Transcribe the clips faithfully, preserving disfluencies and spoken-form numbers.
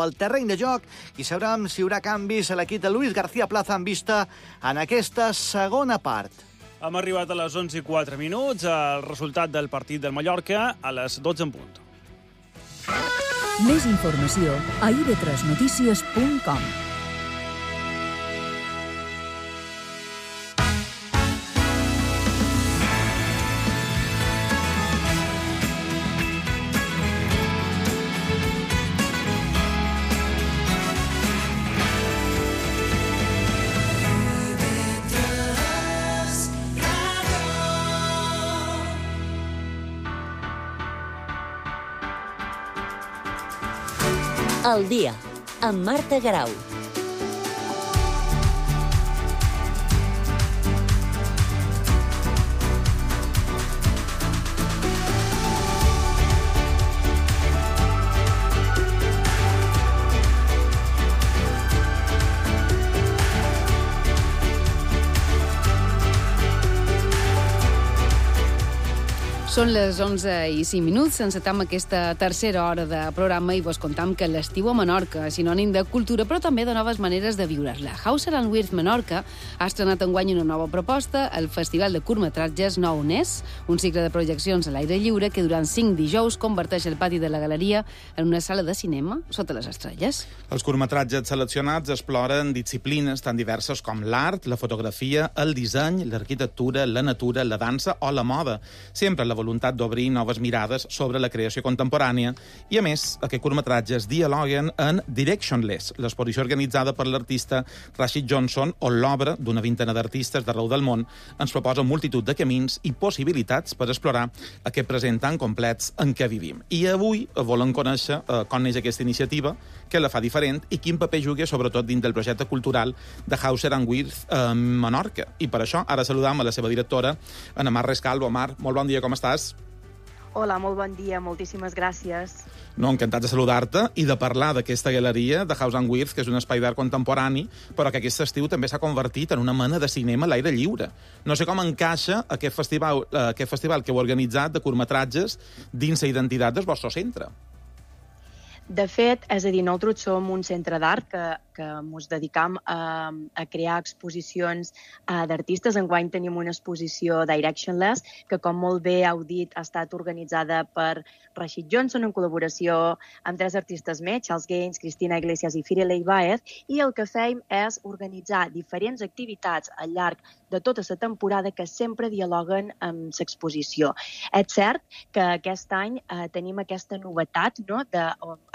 nou al terreny de joc i sabrem si hi haurà canvis a l'equip de Luis García Plaza en vista en aquesta segona part. Hem arribat a les onze i quatre minuts, el resultat del partit del Mallorca a les dotze en punt. Més informació a i be tres notícies punt com. El dia, amb Marta Garau. Són les onze i cinc minuts, encetam aquesta tercera hora de programa i vos contam que l'estiu a Menorca és sinònim de cultura, però també de noves maneres de viure-la. Hauser and Wirth Menorca ha estrenat enguany una nova proposta, el Festival de Curtmetratges Nou Nes, un cicle de projeccions a l'aire lliure que durant cinc dijous converteix el pati de la galeria en una sala de cinema sota les estrelles. Els curtmetratges seleccionats exploren disciplines tan diverses com l'art, la fotografia, el disseny, l'arquitectura, la natura, la dansa o la moda, sempre la voluntat d'obrir noves mirades sobre la creació contemporània i, a més, aquests curtmetratges dialoguen en Directionless, l'exposició organitzada per l'artista Rashid Johnson, on l'obra d'una vintena d'artistes d'arreu del món ens proposa multitud de camins i possibilitats per explorar aquest present tan complets en què vivim. I avui volem conèixer eh, com neix aquesta iniciativa, què la fa diferent i quin paper juga, sobretot, dins del projecte cultural de Hauser and Wirth a Menorca. I per això ara saludam a la seva directora, Ana Mar Rescalvo. Mar, molt bon dia, com estàs? Hola, molt bon dia, moltíssimes gràcies. No, encantat de saludar-te i de parlar d'aquesta galeria de Hauser and Wirth, que és un espai d'art contemporani, però que aquest estiu també s'ha convertit en una mena de cinema a l'aire lliure. No sé com encaixa aquest festival, aquest festival que heu organitzat de curtmetratges dins la identitat del vostre centre. De fet, és a dir, nosaltres som un centre d'art que, que ens dedicam a, a crear exposicions uh, d'artistes. Enguany tenim una exposició Directionless, que, com molt bé heu dit, ha estat organitzada per Rashid Johnson en col·laboració amb tres artistes més, Charles Gaines, Cristina Iglesias i Firelei Baez, i el que fem és organitzar diferents activitats al llarg de tota la temporada que sempre dialoguen amb l'exposició. És cert que aquest any eh, tenim aquesta novetat, no?, de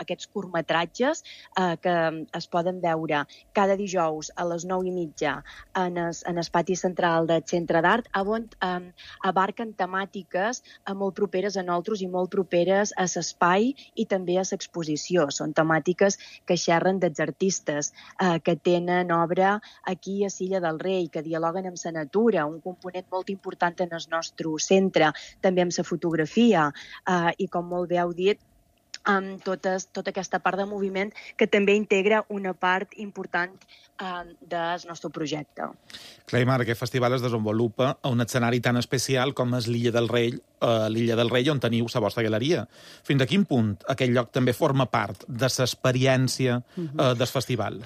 aquests curtmetratges eh, que es poden veure cada dijous a les nou i mitja en el, en el pati central del Centre d'Art, on eh, abarquen temàtiques eh, molt properes a nosaltres i molt properes a l'espai i també a l'exposició. Són temàtiques que xerren dels artistes eh, que tenen obra aquí a Silla del Rei, que dialoguen amb la natura, un component molt important en el nostre centre, també amb la fotografia eh, i, com molt bé heu dit, amb tota, tota aquesta part de moviment que també integra una part important eh, del nostre projecte. Clar, Mar, aquest festival es desenvolupa a un escenari tan especial com és l'Illa del Rei, eh, l'Illa del Rei on teniu la vostra galeria. Fins a quin punt aquell lloc també forma part de l'experiència eh, del festival?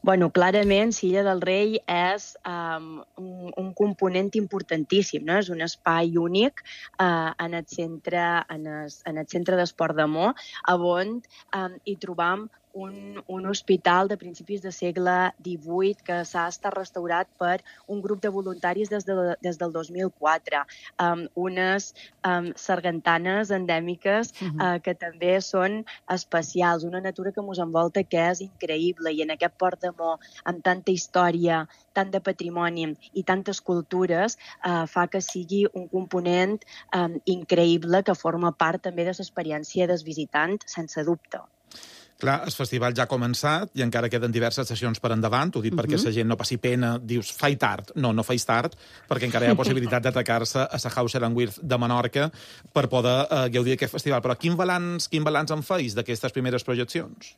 Bueno, clarament, Silla del Rei és um, un, un component importantíssim, no? És un espai únic uh, en el centre, en el, en el centre d'esport de Mo, on um, hi trobam un, un hospital de principis de segle divuit que s'ha estat restaurat per un grup de voluntaris des, de, des del dos mil quatre. Um, unes um, sargantanes endèmiques uh-huh. uh, que també són especials, una natura que ens envolta que és increïble, i en aquest Port de Mo, amb tanta història, tant de patrimoni i tantes cultures, uh, fa que sigui un component um, increïble que forma part també de l'experiència del visitant, sense dubte. Clar, el festival ja ha començat i encara queden diverses sessions per endavant. Ho dic uh-huh. perquè la gent no passi pena, dius, faig tard. No, no faig tard, perquè encara hi ha possibilitat d'atacar-se a la Hauser and Wirth de Menorca per poder eh, gaudir d'aquest festival. Però quin balanç, quin balanç en feis d'aquestes primeres projeccions?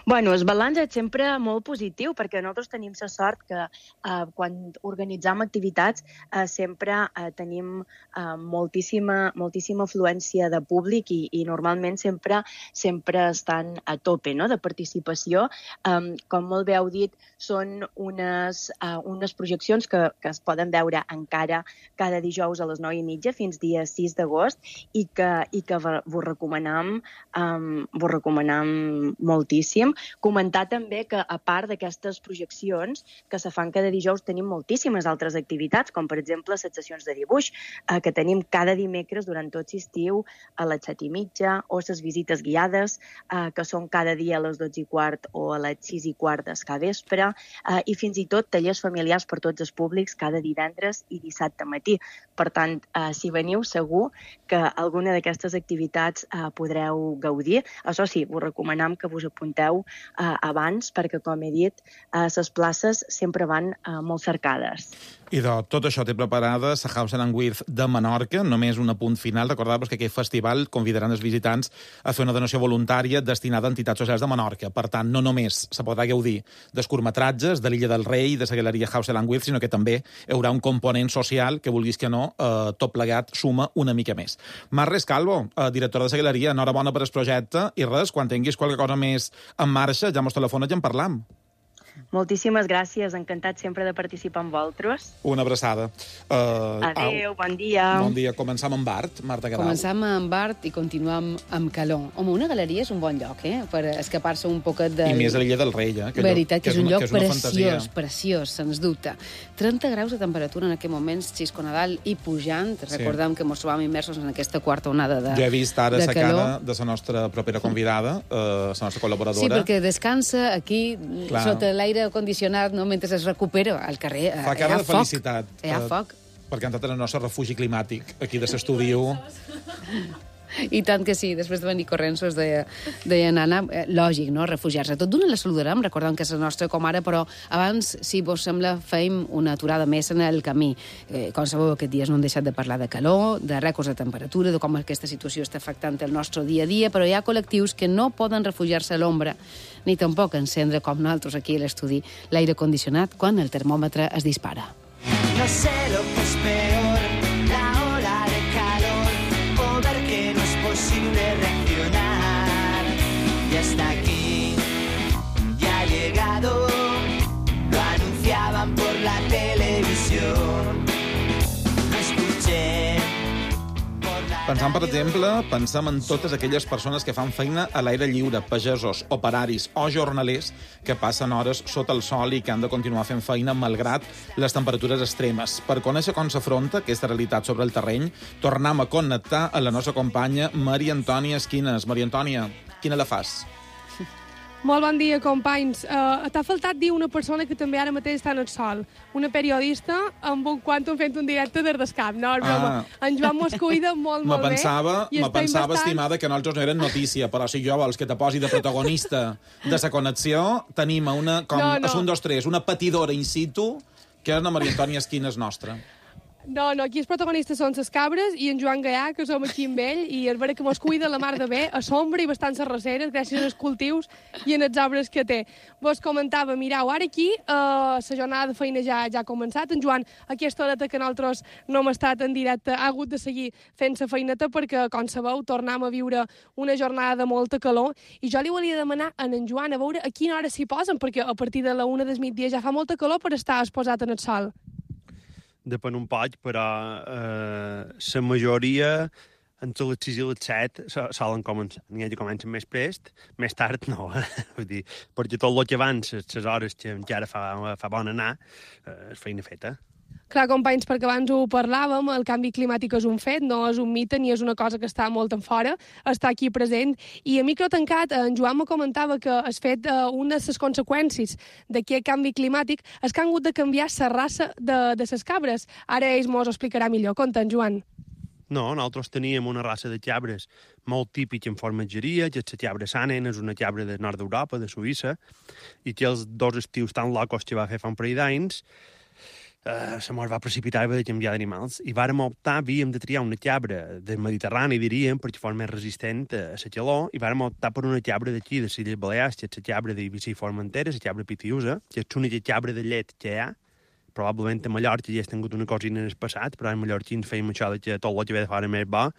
Bueno, el balanç és sempre molt positiu, perquè nosaltres tenim la sort que eh, quan organitzam activitats eh, sempre eh, tenim eh, moltíssima, moltíssima afluència de públic i, i normalment sempre sempre estan a tope, no?, de participació. Um, com molt bé heu dit, són unes, uh, unes projeccions que, que es poden veure encara cada dijous a les nou i mitja fins dia sis d'agost i que, i que vos recomanam, um, vos recomanam moltíssim. Comentar també que, a part d'aquestes projeccions que se fan cada dijous, tenim moltíssimes altres activitats, com per exemple les sessions de dibuix, eh, que tenim cada dimecres durant tot l'estiu a les set i mitja, o les visites guiades, eh, que són cada dia a les dotze i quart o a les sis i quart del capvespre, eh, i fins i tot tallers familiars per tots els públics cada divendres i dissabte matí. Per tant, eh, si veniu, segur que alguna d'aquestes activitats eh, podreu gaudir. Això sí, us recomanem que vos apunteu eh, abans, perquè, com he dit, eh, les places sempre van eh, molt cercades. I de tot això té preparada la Hauser and Wirth de Menorca, només un apunt final. Recordar-vos que aquest festival convidaran els visitants a fer una donació voluntària destinada a entitats socials de Menorca. Per tant, no només se podrà gaudir dels curtmetratges de l'Illa del Rei, de la galeria Hauser and Wirth, sinó que també hi haurà un component social que, vulguis que no, eh, tot plegat suma una mica més. Mar Rescalvo, eh, directora de la galeria, enhorabona per el projecte, i res, quan tinguis qualque cosa més en marxa, ja mos telefones i en parlam. Moltíssimes gràcies, encantat sempre de participar amb vosaltres. Una abraçada. Uh, Adéu, bon dia. Bon dia. Començam amb art, Marta Grau. Començam amb art i continuam amb calor. Home, una galeria és un bon lloc, eh?, per escapar-se un poquet de... I més a l'Illa del Rei, eh? Que veritat, que és un una, lloc és preciós, fantasia. preciós, sens dubte. trenta graus de temperatura en aquest moment, Xisco Nadal, i pujant. Recordem sí. que ens trobàvem immersos en aquesta quarta onada de calor. Jo he vist ara la cara de la nostra propera convidada, eh, la nostra col·laboradora. Sí, perquè descansa aquí, Clar. sota l'aire condicionat, no? Mentre es recupera al carrer. Fa cara de felicitat. Hi ha foc. Perquè han estat el nostre refugi climàtic, aquí de l'estudi. I tant que sí, després de venir corrents, us deia, deia Nana, eh, lògic, no?, refugiar-se. Tot d'una la saludarem, recordem que és la nostra comare, però abans, si vos sembla, feim una aturada més en el camí. Eh, com sabeu, aquests dies no hem deixat de parlar de calor, de rècords de temperatura, de com aquesta situació està afectant el nostre dia a dia, però hi ha col·lectius que no poden refugiar-se a l'ombra, ni tampoc encendre, com nosaltres aquí a l'estudi, l'aire condicionat quan el termòmetre es dispara. No sé lo que es peor, la ola de calor, o ver que no es posible reaccionar. Y hasta aquí ya ha llegado, lo anunciaban por la televisión. Lo escuché. Pensant, per exemple, pensem en totes aquelles persones que fan feina a l'aire lliure, pagesos, operaris o jornalers que passen hores sota el sol i que han de continuar fent feina malgrat les temperatures extremes. Per conèixer com s'afronta aquesta realitat sobre el terreny, tornem a connectar a la nostra companya Maria Antònia Esquines. Maria Antònia, quina la fas? Molt bon dia, companys. Uh, T'ha faltat dir una persona que també ara mateix està en el sol. Una periodista amb un quantum fent un directe des del cap. No, és broma. Ah. En Joan mos cuida molt, molt me pensava, bé. Me pensava, bastant... estimada, que nosaltres no eren notícia, però si jo vols que te posi de protagonista de la connexió, tenim una, com, no, no. És un, dos, tres, una patidora in situ, que és la Maria Antònia Esquines nostra. No, no, aquí els protagonistes són les cabres i en Joan Gaià, que som aquí amb ell, i és vera que mos cuida la mar de bé, a sombra i bastant serraceres, gràcies als cultius i en els arbres que té. Vos comentava, mireu, ara aquí eh, la jornada de feina ja, ja ha començat. En Joan, aquesta horeta que nosaltres no hem estat en directe, ha hagut de seguir fent la feineta perquè, com sabeu, tornem a viure una jornada de molta calor. I jo li volia demanar a en Joan a veure a quina hora s'hi posen, perquè a partir de la una del migdia ja fa molta calor per estar exposat en el sol. Depèn un poc, però eh, la majoria entre les sis i les set solen començar. N'hi ha que comencen més prest, més tard no. Vull dir, perquè tot el que abans, les hores que encara fa, fa bon anar, eh, és feina feta. Clar, companys, perquè abans ho parlàvem, el canvi climàtic és un fet, no és un mite ni és una cosa que està molt en fora, està aquí present. I a micro tancat, en Joan me comentava que has fet eh, una de les conseqüències d'aquest canvi climàtic és que han hagut de canviar la raça de, de les cabres. Ara ells mos ho explicarà millor. Conta, en Joan. No, nosaltres teníem una raça de cabres molt típica en formatgeria, que és la cabra Sanen, és una cabra del nord d'Europa, de Suïssa, i que els dos estius tan locos que va fer fa un parell d'anys, Uh, se mos va precipitar i va de canviar d'animals. I vàrem optar, havíem de triar una cabra del Mediterrani, diríem, perquè fos més resistent a la calor, i vàrem optar per una cabra d'aquí, de les Illes Balears, que és la cabra d'Eivissa i Formentera, la cabra pitiusa, que és l'única cabra de llet que hi ha. Probablement a Mallorca ja has tingut una cosina en el passat, però en mallorquins fèiem això de que tot el que ve de fora més bo,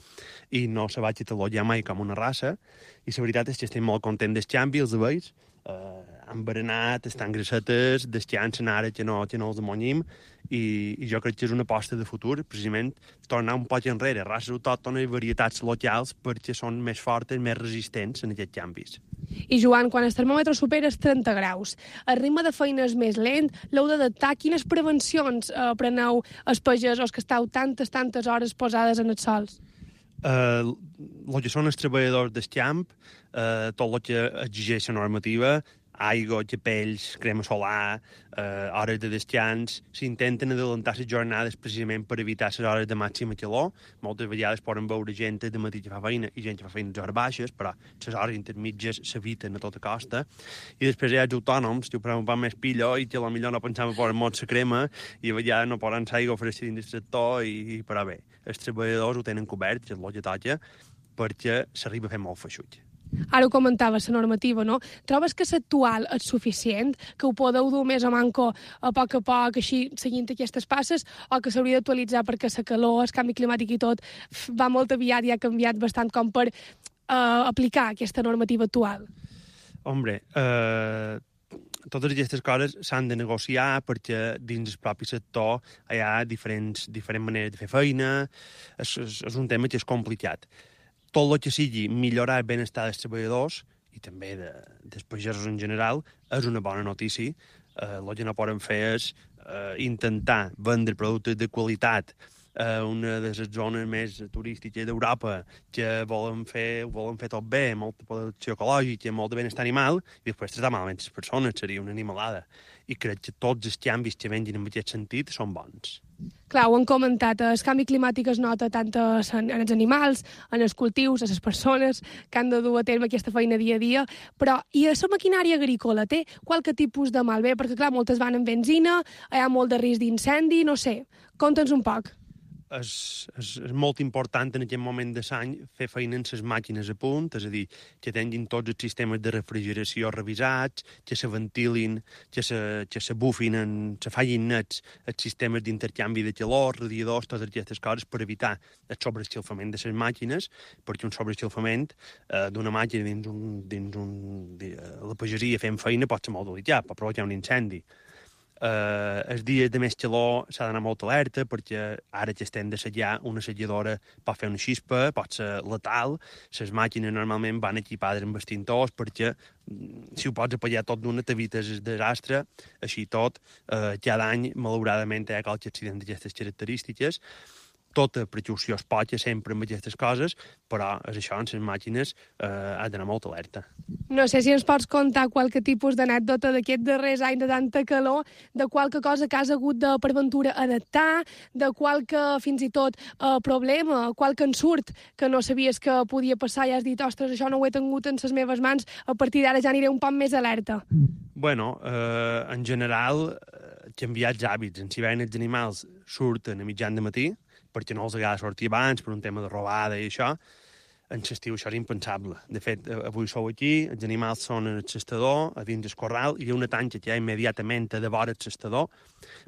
i no se va catalogar mai com una raça, i la veritat és que estem molt contents del canvi, els veus, Uh, han berenat, estan grassetes, descansen ara que no, que no els amonyim, i, i jo crec que és una aposta de futur, precisament tornar un poc enrere, races autòctones i varietats locals perquè són més fortes, més resistents en aquests canvis. I Joan, quan el termòmetre supera els trenta graus, el ritme de feina és més lent, l'heu d'adaptar. Quines prevencions eh, preneu els pagesos que esteu tantes, tantes hores posades en els sols? Uh, el que són els treballadors del camp, uh, tot el que exigeix la normativa, aigua, capells, crema solar, uh, hores de descans, s'intenten adelantar les jornades precisament per evitar les hores de màxima calor. Moltes vegades poden veure gent de matí que fa feina i gent que fa feines hores baixes, però les hores intermitges s'eviten a tota costa. I després hi ha els autònoms, que ho prenen un poc més pillo i que potser no pensàvem posar molt la crema i a vegades no poden aigua fresca dins del sector, i, però bé, els treballadors ho tenen cobert, que és el que toca, perquè s'arriba a fer molt feixuig. Ara ho comentava, la normativa, no? Trobes que l'actual és suficient, que ho podeu dur més a manco a poc a poc, així, seguint aquestes passes, o que s'hauria d'actualitzar perquè la calor, el canvi climàtic i tot va molt aviat i ha canviat bastant com per eh, aplicar aquesta normativa actual? Hombre, eh, totes aquestes coses s'han de negociar perquè dins el propi sector hi ha diferents, diferents maneres de fer feina, és, és, és un tema que és complicat. Tot el que sigui millorar el benestar dels treballadors i també de, dels pagesos en general és una bona notícia. Eh, el que no poden fer és eh, intentar vendre productes de qualitat a una de les zones més turístiques d'Europa que volen fer, volen fer tot bé, molta producció ecològica, molt de benestar animal, i després tractar malament les persones, seria una animalada. I crec que tots els canvis que vengin en aquest sentit són bons. Clar, ho han comentat, el canvi climàtic es nota tant en els animals, en els cultius, a les persones que han de dur a terme aquesta feina dia a dia, però i a la maquinària agrícola té qualque tipus de malbé? Perquè, clar, moltes van amb benzina, hi ha molt de risc d'incendi, no sé, conta'ns un poc. És, és, és molt important en aquest moment de l'any fer feina en les màquines a punt, és a dir, que tinguin tots els sistemes de refrigeració revisats, que se ventilin, que se, que se bufin, en, se fallin nets els sistemes d'intercanvi de calor, radiadors, totes aquestes coses per evitar el sobreescalfament de les màquines, perquè un sobreescalfament eh, d'una màquina dins un, dins un, de, la pagesia fent feina pot ser molt delicat, pot provocar un incendi. Uh, els dies de més calor s'ha d'anar molt alerta perquè ara que estem d'assajar una assajadora pot fer una xispa, pot ser letal. Les màquines normalment van equipades amb extintors perquè si ho pots apagar tot d'una t'evites el desastre. Així tot, uh, cada any malauradament hi ha qualque accident d'aquestes característiques. Tota precaució es pot sempre amb aquestes coses, però és això, en les màquines eh, has d'anar molt alerta. No sé si ens pots contar qualque tipus d'anècdota d'aquests darrers anys de tanta calor, de qualque cosa que has hagut de, per ventura, adaptar, de qualque, fins i tot, eh, problema, qualque ensurt que no sabies que podia passar i has dit, ostres, això no ho he tingut en les meves mans, a partir d'ara ja aniré un poc més alerta. Bueno, eh, en general, eh, canviar els hàbits. En hivern els animals surten a mitjan de matí, perquè no els agrada sortir abans, per un tema de robada i això. En l'estiu això és impensable. De fet, avui sou aquí, els animals són en el cestador, a dins del corral, i hi ha una tanca que hi ha immediatament a devora el cestador,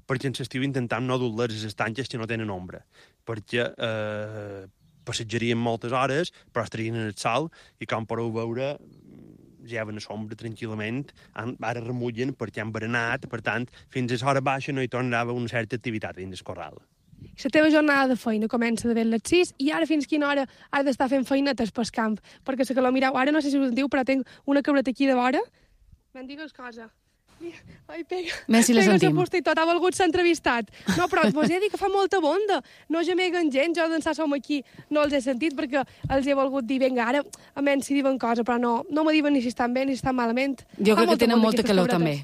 perquè en l'estiu intentam no dur-les a les tanques que no tenen ombra, perquè eh, passatjarien moltes hores, però estarien en el sol, i com podeu veure, lleven a l'ombra tranquil·lament, ara remullen perquè han berenat, per tant, fins a l'hora baixa no hi tornava una certa activitat dins del corral. La teva jornada de feina comença de ben les sis i ara fins quina hora has d'estar fent feinetes pel camp? Perquè la calor, mireu, ara no sé si us en diu, però tinc una cabreta aquí de vora. Me'n digues cosa. Ai, pega. Més si la sentim. Pega i tot, ha volgut ser entrevistat. No, però vos he dit que fa molta bonda. No gemeguen gent, jo d'ençà som aquí no els he sentit perquè els he volgut dir, vinga, ara, a menys si diuen cosa, però no, no me diuen ni si estan bé ni si estan malament. Jo crec que tenen molta calor, també.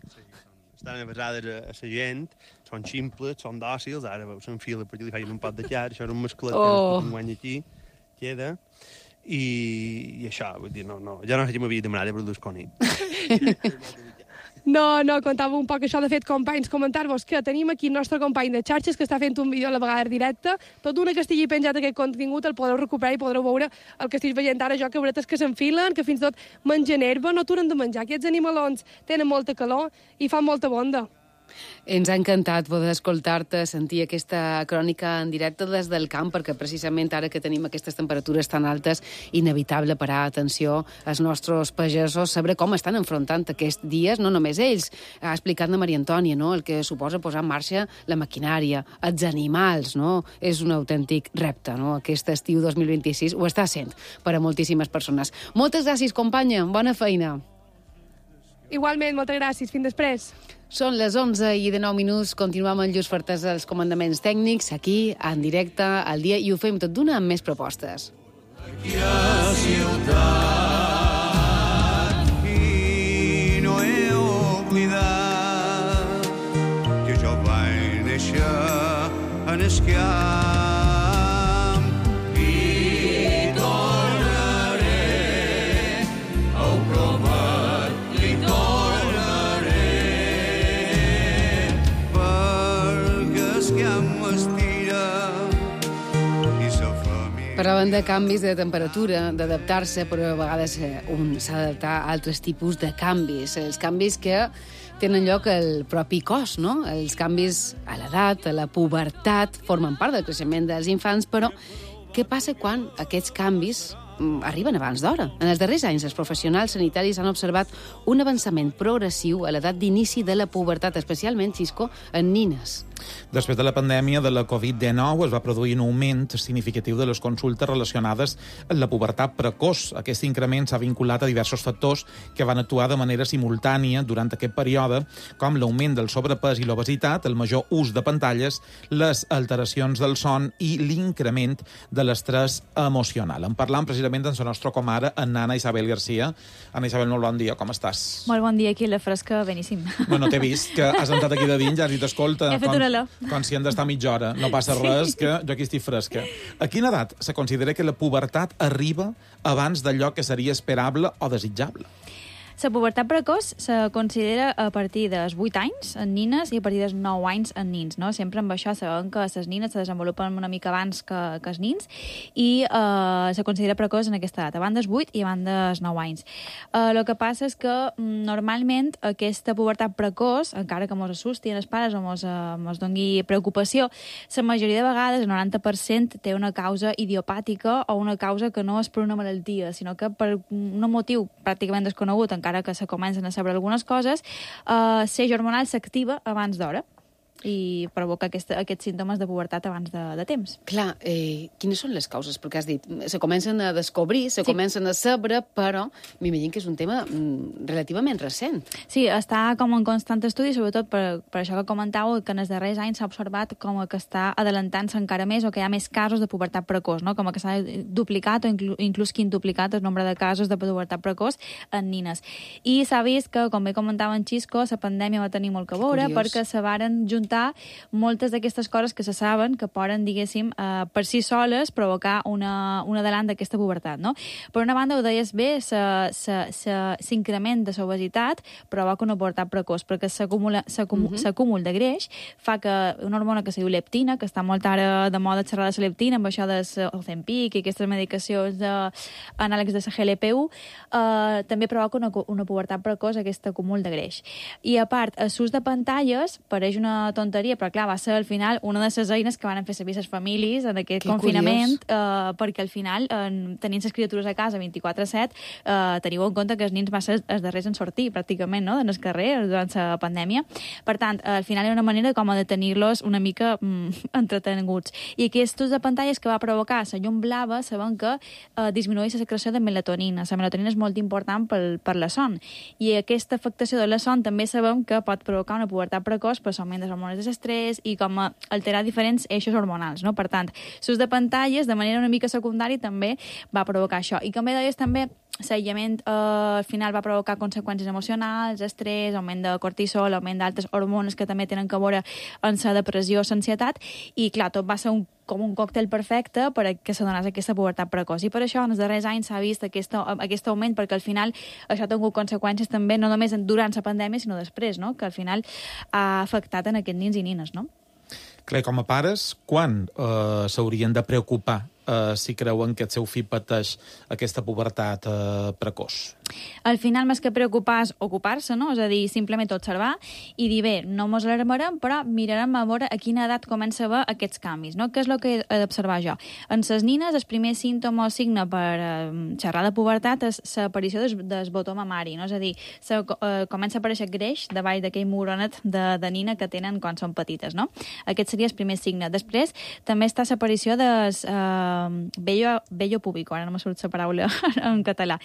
Estan avasades a, a la gent, són ximples, són dòcils, ara s'enfila perquè li facin un pot de llar, això era un masclet oh. que guany aquí, queda, i, i això, vull dir, no, no, ja no sé si m'havia demanat de produir coni. No, no, contava un poc això. De fet, companys, comentar-vos que tenim aquí el nostre company de xarxes que està fent un vídeo a la vegada directe. Tot una que estigui penjat aquest contingut el podreu recuperar i podreu veure el que estic veient ara jo, que bretes que s'enfilen, que fins i tot mengen herba, no aturen de menjar. Aquests animalons tenen molta calor i fan molta bonda. Ens ha encantat poder escoltar-te, sentir aquesta crònica en directe des del camp, perquè precisament ara que tenim aquestes temperatures tan altes, inevitable parar atenció als nostres pagesos, saber com estan enfrontant aquests dies, no només ells. Ha explicat la Maria Antònia, no?, el que suposa posar en marxa la maquinària, els animals, no? És un autèntic repte, no? Aquest estiu dos mil vint-i-sis ho està sent per a moltíssimes persones. Moltes gràcies, companya. Bona feina. Igualment, moltes gràcies. Fins després. Són les onze i dinou minuts, continuem amb Lluís Fertès als comandaments tècnics, aquí, en directe, al dia, i ho fem tot d'una amb més propostes. Aquí a ciutat i no he oblidat que jo vaig néixer en Esquiam i tornaré a ho promet, li tornaré perquè Esquiam m'estira i sa família. Parlàvem de canvis de temperatura, d'adaptar-se, però a vegades un s'ha d'adaptar a altres tipus de canvis. Els canvis que tenen lloc al propi cos, no? Els canvis a l'edat, a la pubertat, formen part del creixement dels infants, però què passa quan aquests canvis arriben abans d'hora? En els darrers anys, els professionals sanitaris han observat un avançament progressiu a l'edat d'inici de la pubertat, especialment, Xisco, en nines. Després de la pandèmia de la covid dinou es va produir un augment significatiu de les consultes relacionades amb la pubertat precoç. Aquest increment s'ha vinculat a diversos factors que van actuar de manera simultània durant aquest període, com l'augment del sobrepès i l'obesitat, el major ús de pantalles, les alteracions del son i l'increment de l'estrès emocional. En parlam precisament amb la nostra comare, en Anna Isabel Garcia. Anna Isabel, molt bon dia, com estàs? Molt bon dia, aquí la fresca, beníssim. No, no t'he vist, que has entrat aquí de dins, ja has dit, escolta, he fet una olor. quan si han d'estar mitja hora, no passa res, que jo aquí estic fresca. A quina edat se considera que la pubertat arriba abans d'allò que seria esperable o desitjable? La pubertat precoç se considera a partir dels vuit anys en nines i a partir dels nou anys en nins, no? Sempre amb això sabem que les nines se desenvolupen una mica abans que, que els nins i eh, se considera precoç en aquesta edat, abans dels vuit i abans dels nou anys. El eh, que passa és que normalment aquesta pubertat precoç, encara que mos assusti els pares o mos, eh, mos doni preocupació, la majoria de vegades, el noranta per cent, té una causa idiopàtica o una causa que no és per una malaltia, sinó que per un motiu pràcticament desconegut, encara encara que se comencen a saber algunes coses, eh, ser hormonal s'activa abans d'hora i provoca aquest, aquests símptomes de pubertat abans de, de temps. Clar, eh, quines són les causes? Perquè has dit, se comencen a descobrir, se sí. comencen a saber, però m'imagino que és un tema mm, relativament recent. Sí, està com en constant estudi, sobretot per, per això que comentàveu, que en els darrers anys s'ha observat com que està adelantant-se encara més o que hi ha més casos de pubertat precoç, no? Com que s'ha duplicat o inclús, inclús quintuplicat el nombre de casos de pubertat precoç en nines. I s'ha vist que, com bé comentava en Xisco, la pandèmia va tenir molt que veure perquè se varen juntar moltes d'aquestes coses que se saben que poden, diguéssim, eh, per si soles provocar una, un adelant d'aquesta pubertat, no? Per una banda, ho deies bé, s'increment de l'obesitat provoca una pubertat precoç, perquè s'acúmul uh-huh. de greix fa que una hormona que se diu leptina, que està molt ara de moda xerrar de la leptina, amb això del Ozempic i aquestes medicacions de, anàlegs de la G L P u, eh, també provoca una, una pubertat precoç, aquest acúmul de greix. I a part, l'ús de pantalles pareix una tonteria, però clar, va ser al final una de les eines que van fer servir les famílies en aquest que confinament, eh, perquè al final, eh, tenint les criatures a casa vint-i-quatre set, eh, teniu en compte que els nins van ser els darrers en sortir, pràcticament, no?, en el carrer durant la pandèmia. Per tant, eh, al final hi ha una manera com de tenir-los una mica mm, entretenuts. I aquest ús de pantalles que va provocar la llum blava, sabem que eh, disminueix la secreció de melatonina. La melatonina és molt important per, per la son. I aquesta afectació de la son també sabem que pot provocar una pubertat precoç per l'augment de hormones de l'estrès i com a alterar diferents eixos hormonals, no? Per tant, l'ús de pantalles de manera una mica secundària també va provocar això. I com bé deies també, l'aïllament eh, al final va provocar conseqüències emocionals, estrès, augment de cortisol, augment d'altres hormones que també tenen a veure amb la depressió, l'ansietat, i clar, tot va ser un com un còctel perfecte per a que se donés aquesta pubertat precoç. I per això en els darrers anys s'ha vist aquest, aquest augment, perquè al final això ha tingut conseqüències també no només durant la pandèmia, sinó després, no? Que al final ha afectat en aquests nins i nines, no? Clar, com a pares, quan eh, s'haurien de preocupar eh, si creuen que el seu fill pateix aquesta pubertat eh, precoç? Al final, més que preocupar, és ocupar-se, no? És a dir, simplement observar i dir, bé, no mos alarmarem, però mirarem a veure a quina edat comença a haver aquests canvis, no? Què és el que he d'observar jo? En les nines, el primer símptoma o signe per eh, xerrar de pubertat és l'aparició del, del botó mamari, no? És a dir, se, eh, comença a aparèixer greix davall d'aquell moronet de, de nina que tenen quan són petites, no? Aquest seria el primer signe. Després, també està l'aparició del eh, vello, vello púbico, ara no me surt la paraula en català.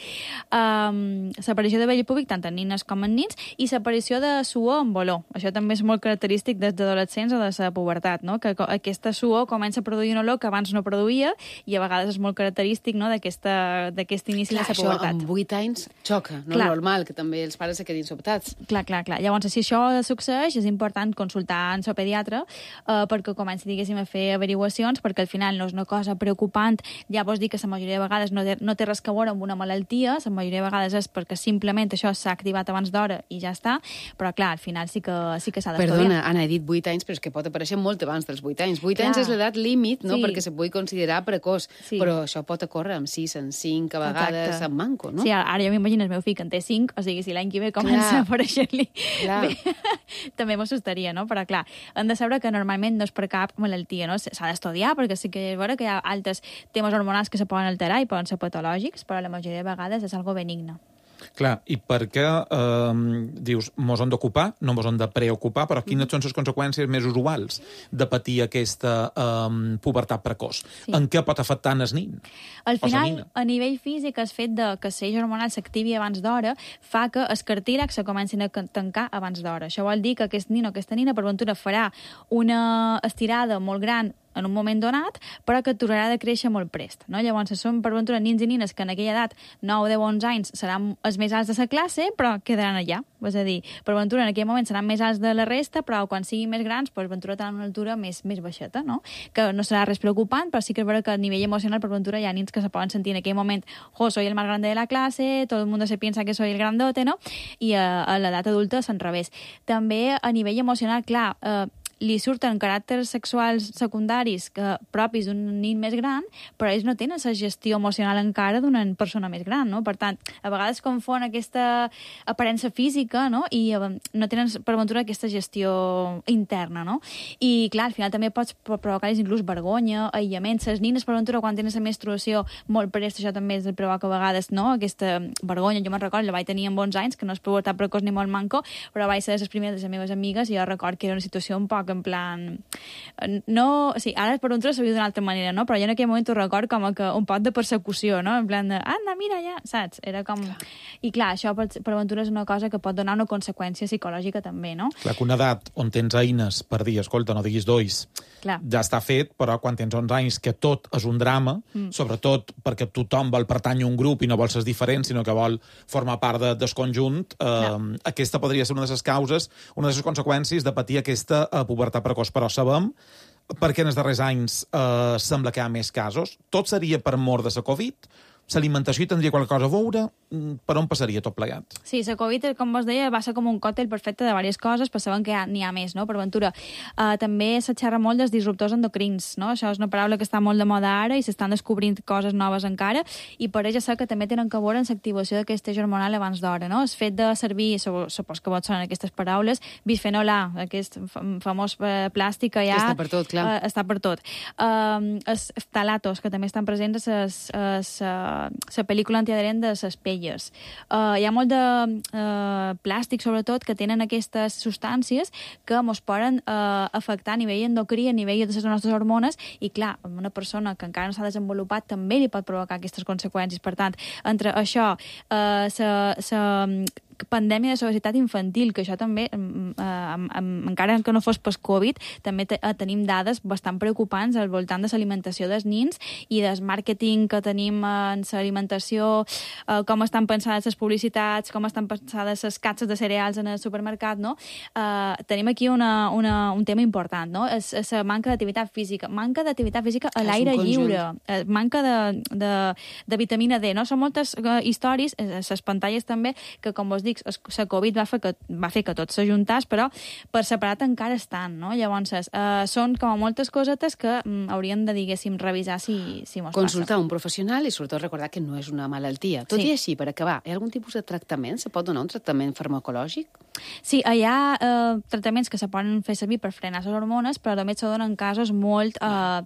Eh, L'aparició de vello púbic tant en nines com en nins, i l'aparició de suor amb olor. Això també és molt característic des d'adolescents o de la pubertat, no? Que aquesta suor comença a produir un olor que abans no produïa, i a vegades és molt característic, no? d'aquest inici clar, de la pubertat. Això amb vuit anys xoca, no? Clar. Normal, que també els pares se quedin sobtats. Clar, clar, clar. Llavors, si això succeeix, és important consultar en el pediatre eh, perquè comenci, diguéssim, a fer averiguacions, perquè al final no és una cosa preocupant. Ja vols dir que la majoria de vegades no té, no té res a veure amb una malaltia, la majoria de vegades és perquè simplement això s'ha activat abans d'hora i ja està, però clar, al final sí que, sí que s'ha d'estudiar. Perdona, Anna, he dit vuit anys, però és que pot aparèixer molt abans dels vuit anys. vuit anys és l'edat límit, no? Sí. Perquè se pugui considerar precoç, sí. Però això pot ocórrer amb sis, amb cinc, a vegades exacte. Amb manco, no? Sí, ara jo m'imagino el meu fill que en té cinc, o sigui, si l'any que ve comença clar. A aparèixer-li... També m'assustaria, no? Però clar, hem de saber que normalment no és per cap malaltia, no? S'ha d'estudiar, perquè sí que és vera que hi ha altres temes hormonals que se poden alterar i poden ser patològics, però la majoria de vegades és algo benigne. Clar, i per què eh, dius, mos hem d'ocupar, no mos hem de preocupar, però quines són les conseqüències més usuals de patir aquesta eh, pubertat precoç? Sí. En què pot afectar el nin? Al final, a nivell físic, el fet de que l'eix hormonal s'activi abans d'hora fa que els cartílags se comencin a tancar abans d'hora. Això vol dir que aquest nin o aquesta nina, per ventura, farà una estirada molt gran en un moment donat, però que aturarà de créixer molt prest, no? Llavors, són per ventura nins i nines que en aquella edat, nou, deu, onze anys, seran els més alts de la classe, però quedaran allà. És a dir, per ventura en aquell moment seran més alts de la resta, però quan siguin més grans, per ventura tenen una altura més, més baixeta, no? Que no serà res preocupant, però sí que és vera que a nivell emocional, per ventura, hi ha nins que se poden sentir en aquell moment, jo, soy el más grande de la clase, todo el mundo se piensa que soy el grandote, no? I a, a l'edat adulta és al revés. També a nivell emocional, clar, eh, li surten caràcters sexuals secundaris que, propis d'un nin més gran, però ells no tenen la gestió emocional encara d'una persona més gran, no? Per tant, a vegades confon aquesta aparença física, no? I no tenen, per ventura, aquesta gestió interna, no? I, clar, al final també pots provocar inclús vergonya, aïllament. Les nines, per ventura, quan tenen la menstruació molt prest, això també és el provoca a vegades, no? Aquesta vergonya. Jo me'n recordo, la vaig tenir amb onze anys, que no és pubertat precoç ni molt manco, però vaig ser les primeres de les meves amigues i jo record que era una situació un poc en plan... No... Sí, ara per ventura s'havia d'una altra manera, no? Però jo en aquell moment ho record com que un pot de persecució, no? En plan de, anda, mira, ja, saps? Era com... Clar. I clar, això per, per ventura és una cosa que pot donar una conseqüència psicològica també, no? Clar, que una edat on tens eines per dir, escolta, no diguis dois, clar. Ja està fet, però quan tens onze anys que tot és un drama, mm. sobretot perquè tothom vol pertànyer a un grup i no vol ser diferent, sinó que vol formar part de, del conjunt, eh, aquesta podria ser una de les causes, una de les conseqüències de patir aquesta eh, pubertat precoç. Però sabem, perquè en els darrers anys eh, sembla que hi ha més casos, tot seria per mort de la Covid, l'alimentació hi tindria qualque cosa a veure, per on passaria tot plegat? Sí, la Covid, com vos deia, va ser com un còctel perfecte de diverses coses, però sabem que n'hi ha més, no? Per ventura, uh, també se xerra molt dels disruptors endocrins, no? Això és una paraula que està molt de moda ara i s'estan descobrint coses noves encara, i per això sé que també tenen que veure en l'activació d'aquest eix hormonal abans d'hora, no? El fet de servir, supos que vos sonen aquestes paraules, bisfenol A, aquest famós plàstic que ja... Està per tot, clar. Uh, està per tot. Uh, els ftalatos, que també estan presents a la pel·lícula antiadherent de les pelles. Uh, hi ha molt de uh, plàstic, sobretot, que tenen aquestes substàncies que ens poden uh, afectar a nivell endocrí, a nivell de les nostres hormones, i clar, una persona que encara no s'ha desenvolupat també li pot provocar aquestes conseqüències. Per tant, entre això, uh, sa, sa pandèmia de obesitat infantil, que això també, eh, encara que no fos pas Covid, també te, tenim dades bastant preocupants al voltant de l'alimentació dels nins i del màrqueting que tenim en l'alimentació, eh, com estan pensades les publicitats, com estan pensades les capses de cereals en el supermercat, no? Eh, tenim aquí una, una, un tema important, no? És, és la manca d'activitat física. Manca d'activitat física a l'aire lliure. Eh, manca de, de, de vitamina D, no? Són moltes uh, històries, a les pantalles també, que, com vos dic, la Covid va fer que, va fer que tot s'ajuntàs, però per separat encara estan, no? Llavors, eh, són com a moltes cosetes que mm, hauríem de, diguéssim, revisar si, si mos Consultar passa. un professional i, sobretot, recordar que no és una malaltia. Tot Sí. i així, per acabar, hi ha algun tipus de tractament? Se pot donar un tractament farmacològic? Sí, hi ha eh, tractaments que se poden fer servir per frenar les hormones, però també se donen casos molt eh,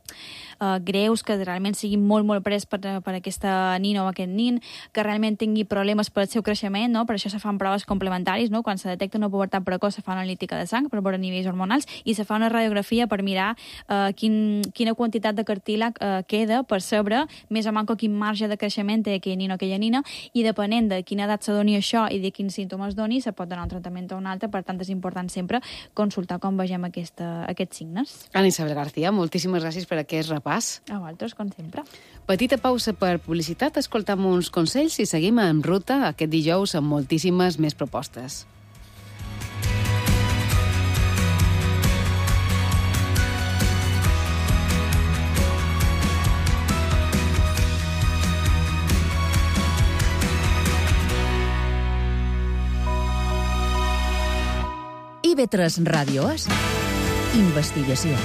eh, greus, que realment siguin molt, molt pres per, per aquesta nina o aquest nin, que realment tingui problemes per al seu creixement, no? Per això se fan proves complementaris, no? Quan se detecta una pubertat precoç se fa una analítica de sang per veure nivells hormonals i se fa una radiografia per mirar eh, quin, quina quantitat de cartílag eh, queda per saber més o manco quin marge de creixement té aquell nin o aquella nina, i depenent de quina edat se doni això i de quins símptomes doni, se pot donar un tractament o un altre. Per tant, és important sempre consultar com vegem aquesta, aquests signes. Ana Isabel García, moltíssimes gràcies per aquest repàs. A vosaltres, com sempre. Petita pausa per publicitat, escoltam uns consells i seguim en ruta aquest dijous amb moltíssimes més propostes. I B tres Ràdio és investigació.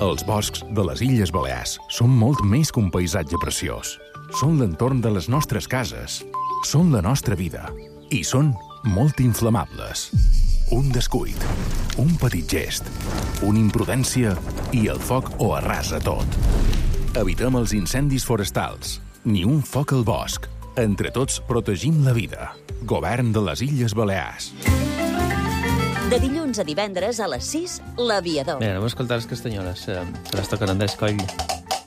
Els boscs de les Illes Balears són molt més que un paisatge preciós. Són l'entorn de les nostres cases, són la nostra vida i són molt inflamables. Un descuit, un petit gest, una imprudència i el foc ho arrasa tot. Evitem els incendis forestals. Ni un foc al bosc. Entre tots protegim la vida. Govern de les Illes Balears. De dilluns a divendres a les sis, L'Aviador. Bé, anem a escoltar les castanyoles, eh, que les toquen Andrés Coll.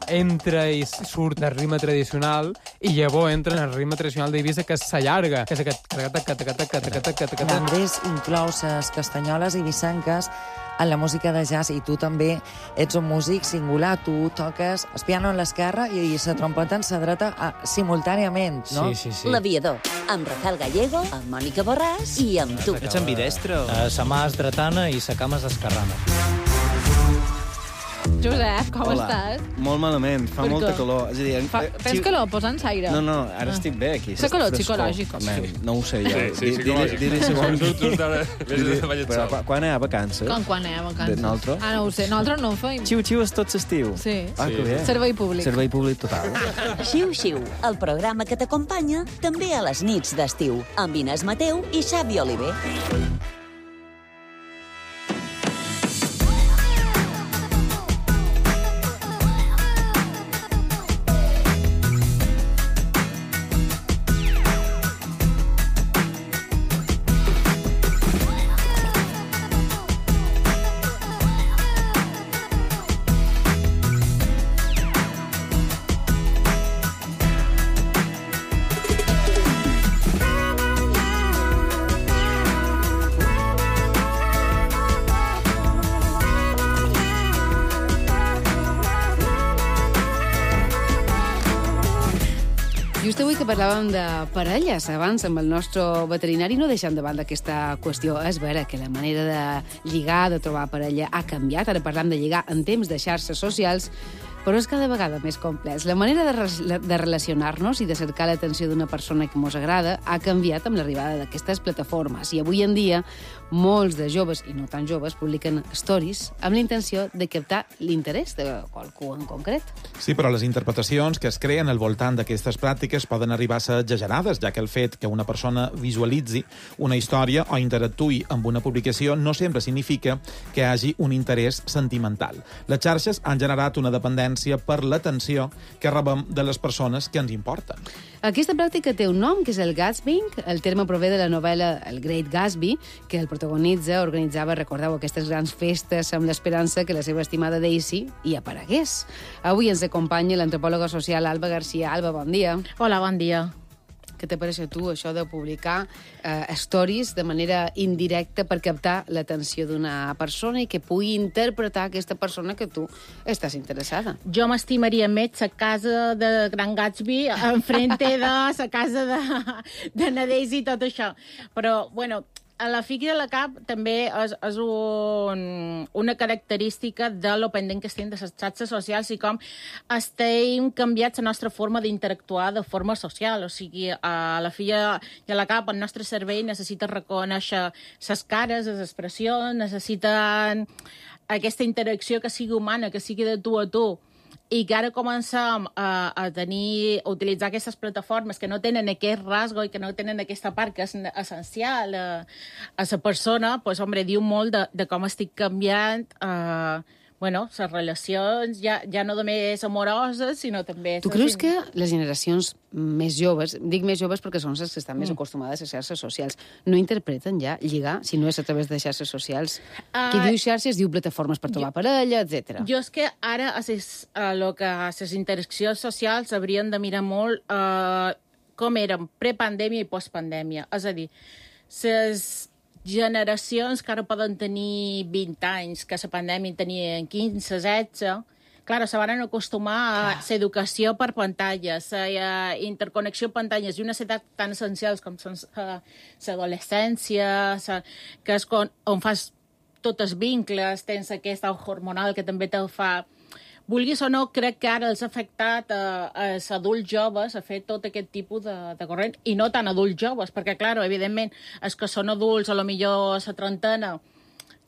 Entra i surt del ritme tradicional i llavors entra en el ritme tradicional d'Eivissa, que s'allarga, que és aquest... L'Andrés inclou les castanyoles eivissenques en la música de jazz, i tu també ets un músic singular. Tu toques el piano en l'esquerra i la trompeta en la dreta a, simultàniament, no? Sí, sí, sí. L'Aviador, amb Rafael Gallego, amb Mònica Borràs i amb tu. Ets ambidestre? Uh, sa mà és dretana i sa cama és esquerrana. Josep, com Hola. estàs? Molt malament, fa Per molta què? calor. És a dir, Fa, eh, tens si- calor? Posa'ns aire. No, no, ara Ah. estic bé aquí. Fa calor Frescor. psicològic. Man, no ho sé jo. Sí, sí, Di- psicològic. Dir-li si vol... Tu- tu encara vés Dir-li- de ballet Però sol. quan anem a vacances? Com quan anem a vacances? De nosaltres? Ah, no ho sé. Nosaltres no ho feim. Xiu-xiu és tot l'estiu. Sí. Ah, que bé. Servei públic. Servei públic total. Xiu-xiu, el programa que t'acompanya també a les nits d'estiu, amb Inés Mateu i Xavi Oliver. Just avui que parlàvem de parelles, abans amb el nostre veterinari, no deixant de banda aquesta qüestió. És vera que la manera de lligar, de trobar parella, ha canviat. Ara parlam de lligar en temps de xarxes socials, però és cada vegada més complex. La manera de, re de relacionar-nos i de cercar l'atenció d'una persona que mos agrada ha canviat amb l'arribada d'aquestes plataformes. I avui en dia, molts de joves, i no tan joves, publiquen stories amb la intenció de captar l'interès de qualcú en concret. Sí, però les interpretacions que es creen al voltant d'aquestes pràctiques poden arribar a ser exagerades, ja que el fet que una persona visualitzi una història o interactuï amb una publicació no sempre significa que hi hagi un interès sentimental. Les xarxes han generat una dependència per l'atenció que rebem de les persones que ens importen. Aquesta pràctica té un nom, que és el gatsbying. El terme prové de la novel·la El Great Gatsby, que el protagonista protagonitza, organitzava, recordeu, aquestes grans festes amb l'esperança que la seva estimada Daisy hi aparegués. Avui ens acompanya l'antropòloga social Alba García. Alba, bon dia. Hola, bon dia. Què te pareix a tu, això de publicar eh, stories de manera indirecta per captar l'atenció d'una persona i que pugui interpretar aquesta persona que tu estàs interessada? Jo m'estimaria més la casa de Gran Gatsby enfrente de la casa de, de Nadez i tot això. Però, bueno, a la figa de la cap també és, és un, una característica de lo pendent que estem de les xarxes socials i com estem canviats la nostra forma d'interactuar de forma social. O sigui, a la figa de la cap el nostre cervell necessita reconèixer les cares, les expressions, necessiten aquesta interacció que sigui humana, que sigui de tu a tu. I que ara comencem a, a tenir, a utilitzar aquestes plataformes que no tenen aquest rasgo i que no tenen aquesta part que és essencial a, a la persona, doncs, hombre, diu molt de, de com estic canviant eh, bueno, les relacions, ja, ja no només amoroses, sinó també... Tu creus que les generacions més joves, dic més joves perquè són les que estan més mm. acostumades a xarxes socials, no interpreten ja lligar, si no és a través de xarxes socials? Uh, Qui diu xarxes diu plataformes per trobar jo, parella, etcètera. Jo és que ara, a les, a lo que a les interaccions socials haurien de mirar molt uh, com eren prepandèmia i postpandèmia. És a dir, les generacions que ara poden tenir vint anys, que la pandèmia tenien quinze, setze, clar, se van acostumar a l'educació per pantalles, la interconnexió per pantalles i una ciutat tan essencials com són l'adolescència, que és on fas tots els vincles, tens aquesta hormonal que també te'l fa. Vulguis o no, crec que ara els ha afectat a, a els adults joves a fer tot aquest tipus de, de corrent, i no tan adults joves, perquè, clar, evidentment, els que són adults, a lo millor a la trentena,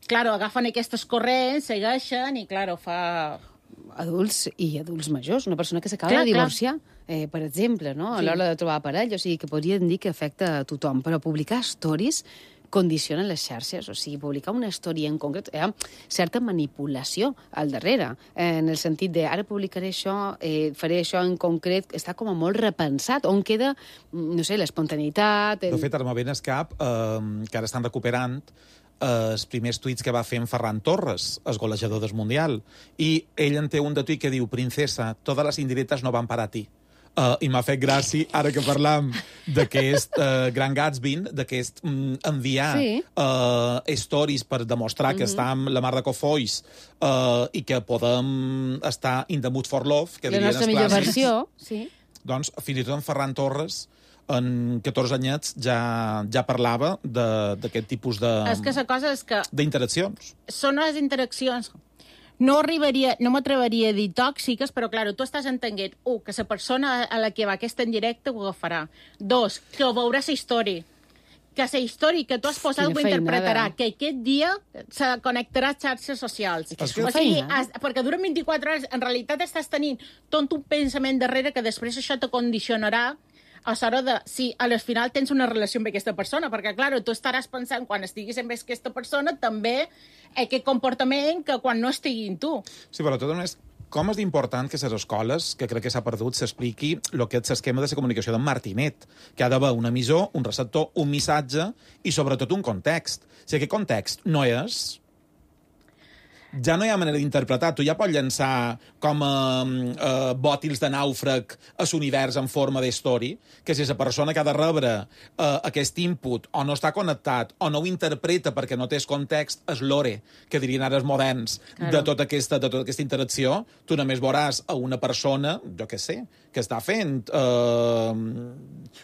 clar, agafen aquestes corrents, segueixen, i, clar, fa... Adults i adults majors, una persona que s'acaba de divorciar, eh, per exemple, no? A l'hora de trobar parella, o sigui, que podrien dir que afecta a tothom, però publicar stories condiciona les xarxes, o sigui, publicar una història en concret, hi ha certa manipulació al darrere, eh, en el sentit de ara publicaré això, eh, faré això en concret, està com a molt repensat, on queda, no sé, l'espontaneïtat... El... De fet, ara m'ha ben escap, eh, que ara estan recuperant eh, els primers tuits que va fer en Ferran Torres, el golejador del Mundial, i ell en té un de tuit que diu: «Princesa, todas las indirectas no van para ti». Uh, I m'ha fet gràcia, ara que parlam d'aquest uh, Gran Gatsby, d'aquest um, enviar sí. uh, stories per demostrar mm-hmm. que està amb la mar de cofolls uh, i que podem estar in the mood for love, que la dirien nostra els millor clàssics. versió, sí. Doncs, fins i tot en Ferran Torres, en catorze anyets, ja, ja parlava d'aquest tipus de... És que la cosa és que... d'interaccions. Són les interaccions... No arribaria, no m'atreveria a dir tòxiques, però, clar, tu estàs entenent, un, que la persona a la que va aquesta en directe ho agafarà. Dos, que ho veurà la història. Que la història que tu has posat ho interpretarà. Que aquest dia se connectarà a xarxes socials. És que o sigui, has, perquè durant vint-i-quatre hores, en realitat estàs tenint tot un pensament darrere que després això te condicionarà a l'hora de, si al final tens una relació amb aquesta persona, perquè, clar, tu estaràs pensant, quan estiguis amb aquesta persona, també aquest comportament que quan no estigui amb tu. Sí, però tot només, com és important que a les escoles, que crec que s'ha perdut, s'expliqui el que és l'esquema de la comunicació d'en Martinet, que ha d'haver un emissor, un receptor, un missatge i, sobretot, un context. Si aquest context no és... ja no hi ha manera d'interpretar. Tu ja pots llançar com a uh, bòtils de nàufrag a l'univers en forma d'història, que si la persona que ha de rebre uh, aquest input o no està connectat o no ho interpreta perquè no té context, és l'ore, que dirien ara els moderns, claro. de, tota aquesta, de tota aquesta interacció, tu només veuràs a una persona, jo què sé, que està fent uh,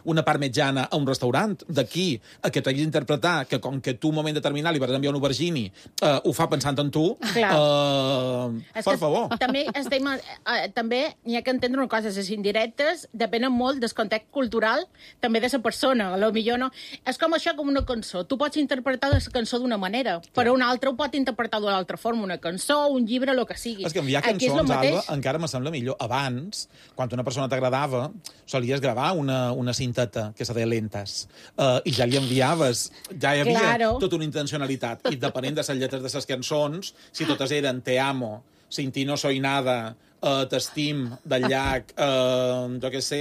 una part mitjana a un restaurant. D'aquí a que t'hagis d'interpretar que com que tu un moment determinat li vas enviar un aubergini, uh, ho fa pensant en tu, Uh, per favor. També, estem, uh, també hi ha que entendre una cosa, les indirectes depenen molt del context cultural, també de la persona, a lo millor no. És com això, com una cançó. Tu pots interpretar la cançó d'una manera, però un altre ho pot interpretar d'una altra forma, una cançó, un llibre, el que sigui. És que enviar cançons, Alba, encara me sembla millor. Abans, quan una persona t'agradava, solies gravar una, una cinteta, que se deia lentes, uh, i ja li enviaves, ja hi havia claro. tota una intencionalitat, i depenent de les lletres de les cançons, si totes eren te amo, sin ti no soy nada, uh, T'estim, del llac, uh, jo què sé,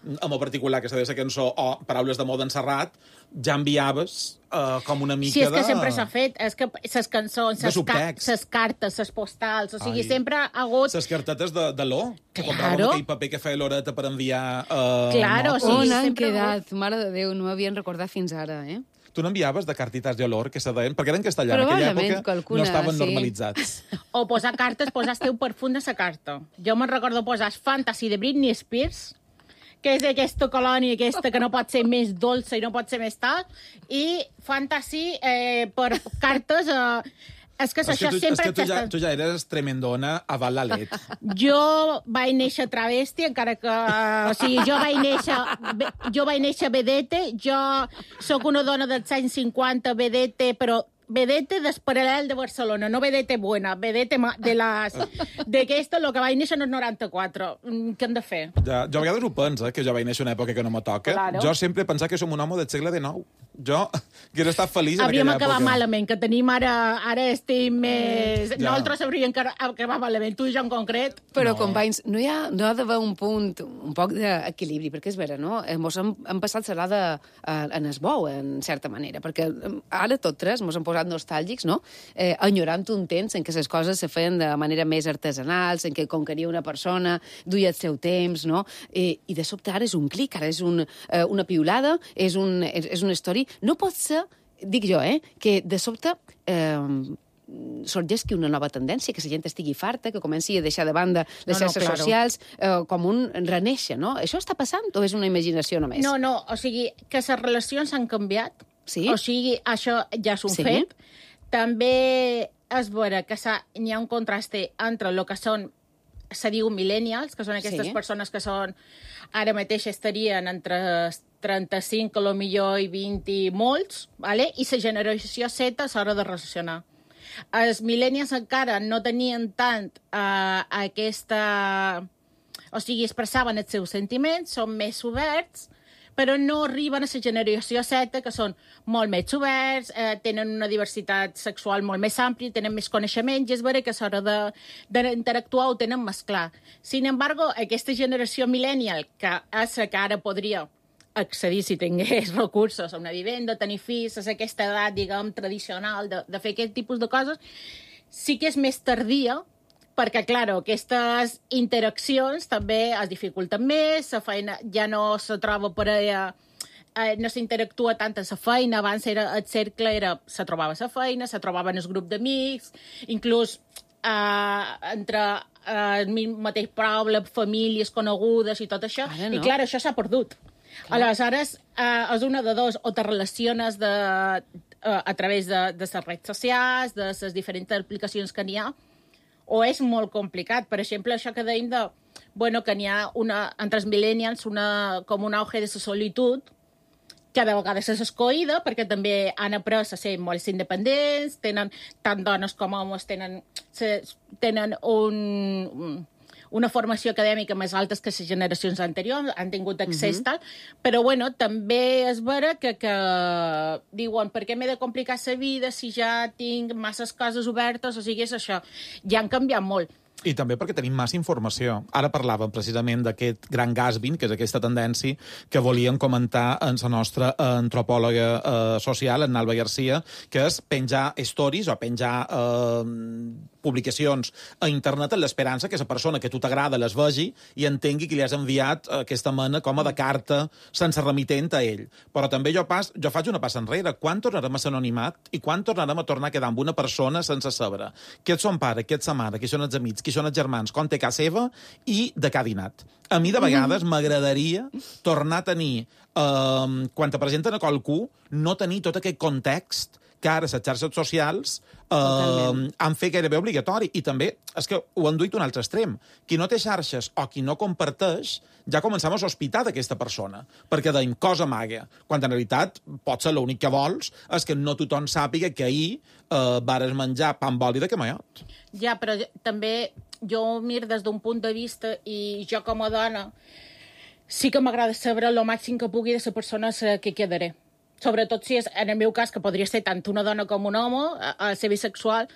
en el particular, que s'ha de la cançó, o Paraules d'amor d'en Serrat, ja enviaves uh, com una mica de... Sí, és que de... sempre s'ha fet. És que les cançons, les ca cartes, les postals, o sigui, Ai. sempre ha hagut... Les cartetes de, de l'O, que claro. compràvem aquell paper que feia l'Horeta per enviar... Uh, claro, notes. sí, On han sempre quedat? Mare de Déu, no m'havien recordat fins ara, eh? Tu n'enviaves de cartitas de olor, que se deien, perquè eren en castellà, en aquella època qualcuna, no estaven sí. normalitzats. O posar cartes, posar el teu perfum de la carta. Jo me'n recordo posar Fantasy de Britney Spears, que és aquesta colònia aquesta que no pot ser més dolça i no pot ser més tal, i Fantasy eh, per cartes... Eh, és que, és això que tu, sempre... És que tu ja, tu ja eres tremendona a val la let. Jo vaig néixer travesti, encara que... O sigui, jo vaig néixer... Jo vaig néixer vedete, jo sóc una dona dels anys cinquanta, vedete, però vedete desparal·lel de Barcelona, no vedete buena, vedete de les... D'aquesta, el que vaig néixer en el noranta-quatre. Què hem de fer? Ja, jo a vegades ho penso, eh, que jo vaig néixer en una època que no me toca. Claro. Jo sempre he pensat que som un home del segle dinou. Jo hauria estat feliç en hauríem aquella època. Hauríem acabat malament, que tenim ara... Ara estem més... Ja. Nosaltres hauríem acabat malament, tu i jo en concret. Però, no. companys, no hi ha, no ha d'haver un punt, un poc d'equilibri, perquè és vera, no? Mos hem, hem passat l'alada en es bou, en certa manera, perquè ara tot tres mos hem posat nostàlgics, no? Eh, enyorant un temps en què les coses se feien de manera més artesanal, en què conqueria una persona, duia el seu temps, no? Eh, I de sobte ara és un clic, ara és un, eh, una piulada, és, un, és, és una història. No pot ser, dic jo, eh, que de sobte... Eh, sorgesqui una nova tendència, que la gent estigui farta, que comenci a deixar de banda les no, xarxes no, claro. socials, eh, com un renéixer, no? Això està passant o és una imaginació només? No, no, o sigui, que les relacions han canviat, sí? O sigui, això ja és un sí? fet. També és vera que hi ha un contraste entre el que són, se diu millennials, que són aquestes sí. persones que són, ara mateix estarien entre trenta-cinc, a lo millor, i vint i molts, vale? I la generació Z a l'hora de relacionar. Els millennials encara no tenien tant uh, aquesta... O sigui, expressaven els seus sentiments, són més oberts, però no arriben a la generació Z, que són molt més oberts, eh, tenen una diversitat sexual molt més àmplia, tenen més coneixements, i és vera que a l'hora d'interactuar ho tenen més clar. Sin embargo, aquesta generació millennial, que és la que ara podria accedir, si tingués recursos, a una vivenda, tenir fills, a aquesta edat, diguem, tradicional de, de fer aquest tipus de coses, sí que és més tardia, perquè, clar, aquestes interaccions també es dificulten més, la feina ja no se troba per allà, eh, no s'interactua tant a la feina, abans era, el cercle era, se trobava a la feina, se trobava en el grup d'amics, inclús eh, entre eh, el mateix poble, famílies conegudes i tot això, no. I clar, això s'ha perdut. Clar. Aleshores, eh, és una de dos, o te relaciones de, eh, a través de, de les redes socials, de les diferents aplicacions que n'hi ha, o és molt complicat. Per exemple, això que dèiem de, bueno, que n'hi ha una, entre els millennials una, com un auge de la solitud, que de vegades és escoïda, perquè també han après a ser molt independents, tenen, tant dones com homes tenen, se, tenen un... una formació acadèmica més alta que les generacions anteriors, han tingut accés, uh-huh. tal, però, bueno, també és vera que, que diuen, per què m'he de complicar la vida si ja tinc masses coses obertes, o sigui, és això. Ja han canviat molt. I també perquè tenim massa informació. Ara parlàvem precisament d'aquest gran Gatsby, que és aquesta tendència que volíem comentar en la nostra antropòloga eh, social, en Alba Garcia, que és penjar stories o penjar eh, publicacions a internet en l'esperança que la persona que a tu t'agrada les vegi i entengui que li has enviat aquesta mena com a de carta sense remitent a ell. Però també jo, pas, jo faig una passa enrere. Quan tornarem a ser anonimat i quan tornarem a tornar a quedar amb una persona sense saber qui és son pare, qui és sa mare, qui són els amics, qui són els germans, com té casa seva i de què ha dinat. A mi, de vegades, mm. m'agradaria tornar a tenir, eh, quan te presenten a qualcú, no tenir tot aquest context que ara les xarxes socials eh, han fet gairebé obligatori. I també, és que ho han duit un altre extrem. Qui no té xarxes o qui no comparteix, ja comencem a sospitar d'aquesta persona, perquè deim cosa maga, quan en realitat potser l'únic que vols és que no tothom sàpiga que ahir eh, vares menjar pa amb oli de camaiot. Ja, però també jo ho miro des d'un punt de vista i jo com a dona sí que m'agrada saber el màxim que pugui de la persona que quedaré. Sobretot si és, en el meu cas, que podria ser tant una dona com un home, a, a ser bisexual,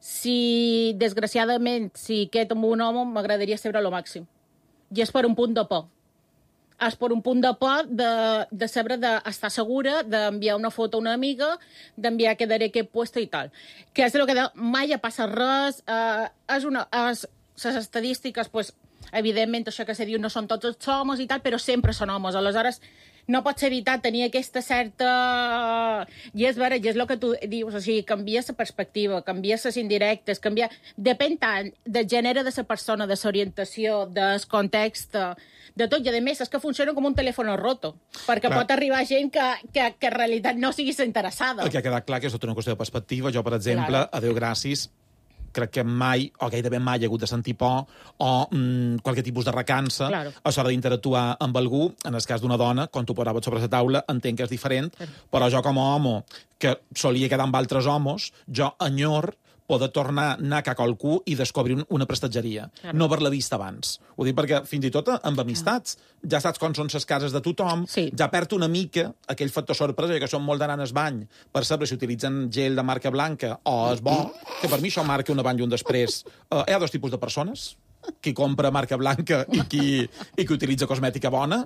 si, desgraciadament, si quedo amb un home, m'agradaria saber lo màxim. I és per un punt de por. És per un punt de por de, de saber d'estar segura, d'enviar una foto a una amiga, d'enviar quedaré aquest puesto i tal. Que és el que de, mai ha passat res. Eh, és una, és, les estadístiques, pues, evidentment, això que se diu no són tots els homes i tal, però sempre són homes. Aleshores, no pots evitar tenir aquesta certa... I és vera, i és el que tu dius, o sigui, canvia la perspectiva, canvia les indirectes, canvia... Depèn tant del gènere de la persona, de l'orientació, del context, de tot, i a més és que funciona com un telèfon roto, perquè clar, pot arribar gent que, que, que en realitat no sigui interessada. El que ha quedat clar que és tota una qüestió de perspectiva. Jo, per exemple, claro. a Déu gràcies, crec que mai, o gairebé mai, he hagut de sentir por o mm, qualque tipus de recança claro. a l'hora d'interactuar amb algú. En el cas d'una dona, quan tu posaves sobre la taula, entenc que és diferent, claro. però jo com a home, que solia quedar amb altres homes, jo enyor poder tornar a anar a qualcú i descobrir una prestatgeria. Claro. No haver-la vist abans. Ho dic perquè, fins i tot amb amistats, ja saps com són les cases de tothom, sí. ja perd una mica aquell factor sorpresa, que són molt d'anar al bany per saber si utilitzen gel de marca blanca o és bo, que per mi això marca un abans i un després. Uh, hi ha dos tipus de persones, qui compra marca blanca i qui, i qui utilitza cosmètica bona.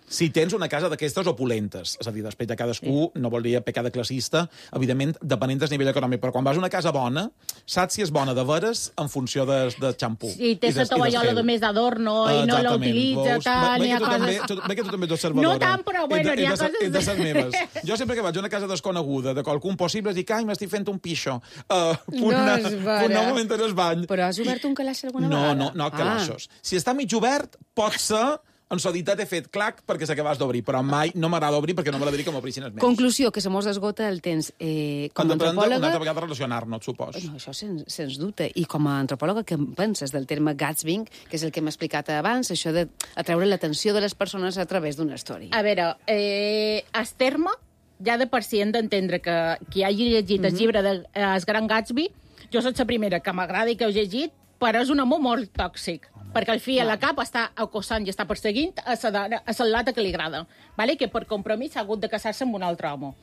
Si tens una casa d'aquestes opulentes, és a dir, després de cadascú, sí. no voldria pecar de classista, evidentment, depenent del nivell econòmic, però quan vas a una casa bona, saps si és bona de veres en funció de, de xampú. Sí, tens la tovallola de més d'adorno i no la utilitza, tant, hi ha coses... Ve que tu també ets observadora. No tant, però bueno, hi ha coses... Entre les meves. Jo sempre que vaig a una casa desconeguda de qualcú possible, dic, ai, m'estic fent un pixo. Uh, no és vera. Un nou moment en el bany. Però has obert un calaix alguna no, vegada? No, no, no calaixos. Ah. Si està mig obert, pot ser... En solitat he fet clac perquè s'acabàs d'obrir, però mai no m'agrada obrir perquè no m'agradaria que m'obrissin els meus. Conclusió, que se mos esgota el temps. Eh, com a antropòloga... Una altra vegada relacionar-nos, supos. No, això sens, sens dubte. I com a antropòloga, què penses del terme gatsbing, que és el que hem explicat abans, això de atreure l'atenció de les persones a través d'una història? A veure, eh, el terme, ja de per si hem d'entendre que qui hagi llegit mm-hmm. el llibre de El Gran Gatsby, jo soc la primera que m'agrada i que heu llegit, però és un amor molt tòxic. Perquè al fi a la cap està acosant i està perseguint a la lata que li agrada, vale? Que per compromís ha hagut de casar-se amb un altre home.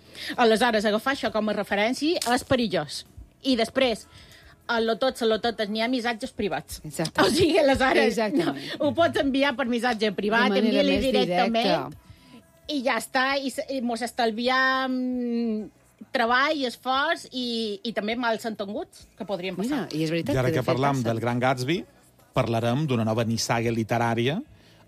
Aleshores, agafar això com a referència és perillós. I després, a lo tots, a lo totes, n'hi ha missatges privats. Exactament. O sigui, aleshores, no, ho pots enviar per missatge privat, envia-li directament, i ja està, i, i mos estalviam treball, esforç i, i també mals entenguts que podrien passar. Mira, i és veritat I ara que, que parlam del Gran Gatsby, parlarem d'una nova nissaga literària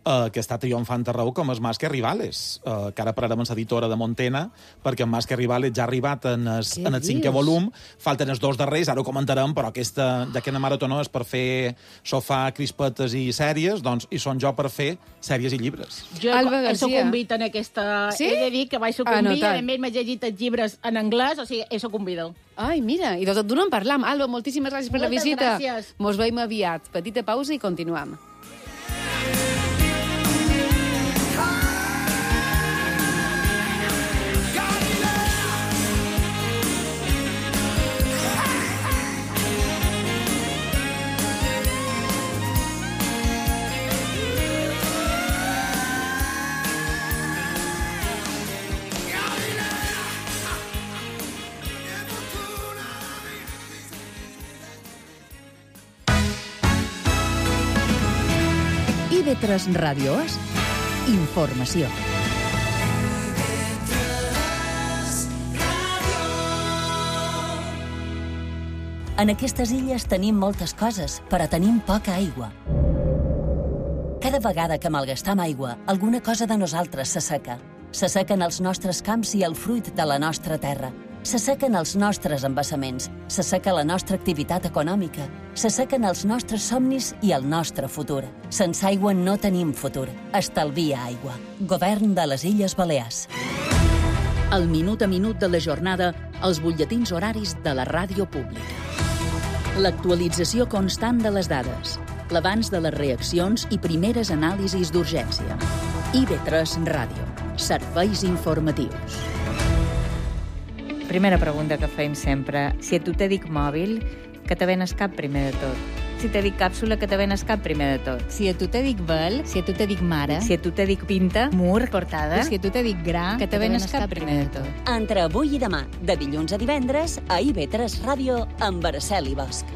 eh, que està triomfant arreu com és Más que Rivales, eh, que ara parlarem amb l'editora de Montena, perquè Más que Rivales ja ha arribat en el, en el cinquè volum, falten els dos darrers, ara ho comentarem, però aquesta, ja que la marató és per fer sofà, crispetes i sèries, doncs hi són jo per fer sèries i llibres. Jo he sucumbit en aquesta... Sí? He de dir que vaig sucumbir, a més m'he llegit els llibres en anglès, o sigui, he sucumbit. Ai, mira, i de tot d'una en parlam. Alba, moltíssimes gràcies per Moltes la visita. Gràcies. Mos veiem aviat. Petita pausa i continuem. I V tres Ràdio és informació. En aquestes illes tenim moltes coses, però tenim poca aigua. Cada vegada que malgastam aigua, alguna cosa de nosaltres s'asseca. S'assequen els nostres camps i el fruit de la nostra terra. S'assequen els nostres embassaments, s'asseca la nostra activitat econòmica, s'assequen els nostres somnis i el nostre futur. Sense aigua no tenim futur. Estalvia aigua. Govern de les Illes Balears. El minut a minut de la jornada, els butlletins horaris de la ràdio pública. L'actualització constant de les dades, l'abans de les reaccions i primeres anàlisis d'urgència. I V tres Ràdio. Serveis informatius. Primera pregunta que feim sempre. Si a tu te dic mòbil, què te ven al cap primer de tot? si te dic càpsula que te ven escat primer de tot. Si a tu te dic vel, si a tu te dic mare, Si a tu te dic pinta, mur, portada, si a tu te dic gra, que te ven escat primer de tot. Entre avui i demà, de dilluns a divendres, a I V tres Ràdio, amb Araceli Bosch.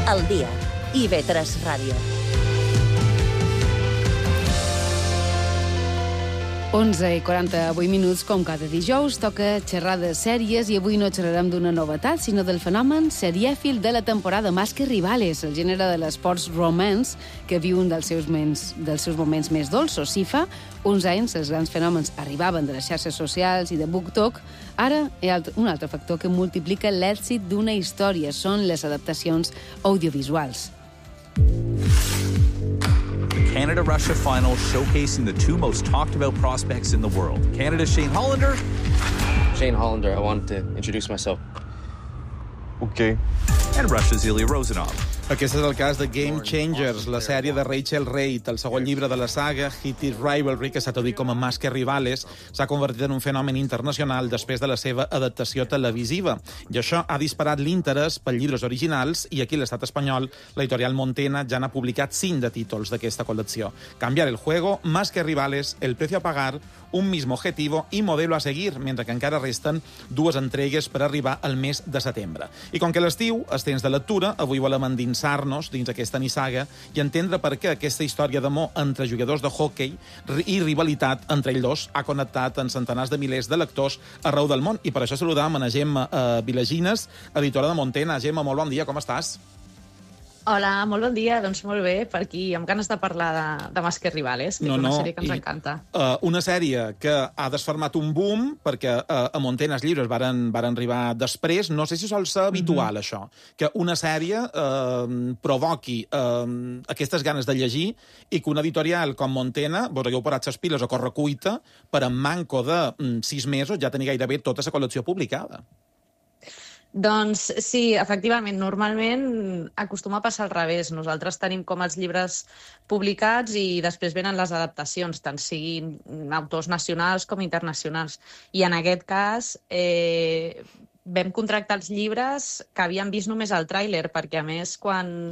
El dia, I V tres Ràdio. onze i quaranta-vuit minuts, com cada dijous, toca xerrar de sèries i avui no xerrarem d'una novetat, sinó del fenomen serièfil de la temporada Más que rivales, el gènere de l'esports romance que viu un dels seus, mens, dels seus moments més dolços. Si fa uns anys els grans fenòmens arribaven de les xarxes socials i de BookTok, ara hi ha un altre factor que multiplica l'èxit d'una història, són les adaptacions audiovisuals. Canada-Russia final showcasing the two most talked about prospects in the world. Canada's Shane Hollander. Shane Hollander, I wanted to introduce myself. Okay. And Russia's Ilya Rozanov. Aquest és el cas de Game Changers, la sèrie de Rachel Reid. El segon llibre de la saga, Hit It Rivalry, que s'ha traduït com a Más que rivales, s'ha convertit en un fenomen internacional després de la seva adaptació televisiva. I això ha disparat l'interès per llibres originals i aquí a l'estat espanyol l'editorial Montena ja n'ha publicat cinc de títols d'aquesta col·lecció. Cambiar el juego, Más que rivales, El precio a pagar, Un mismo objetivo i Modelo a seguir, mentre que encara resten dues entregues per arribar al mes de setembre. I com que l'estiu és temps de lectura, avui volem endinsar-nos dins aquesta nissaga i entendre per què aquesta història d'amor entre jugadors de hoquei i rivalitat entre ells dos ha connectat en centenars de milers de lectors arreu del món. I per això saludam a Gemma eh, Vilagines, editora de Montena. Gemma, molt bon dia, com estàs? Hola, molt bon dia. Doncs molt bé, per aquí, amb ganes de parlar de, de Más que rivales, que no, és una no, sèrie que ens i, encanta. Uh, una sèrie que ha desfermat un boom, perquè uh, a Montena els llibres varen, varen arribar després. No sé si sol ser habitual, mm-hmm. això, que una sèrie uh, provoqui uh, aquestes ganes de llegir i que una editorial com Montena vos hagueu parat ses piles a correcuita per en manco de um, sis mesos ja tenir gairebé tota la col·lecció publicada. Doncs sí, efectivament, normalment acostuma a passar al revés. Nosaltres tenim com els llibres publicats i després venen les adaptacions, tant siguin autors nacionals com internacionals. I en aquest cas eh, vam contractar els llibres que havíem vist només al tràiler, perquè a més quan,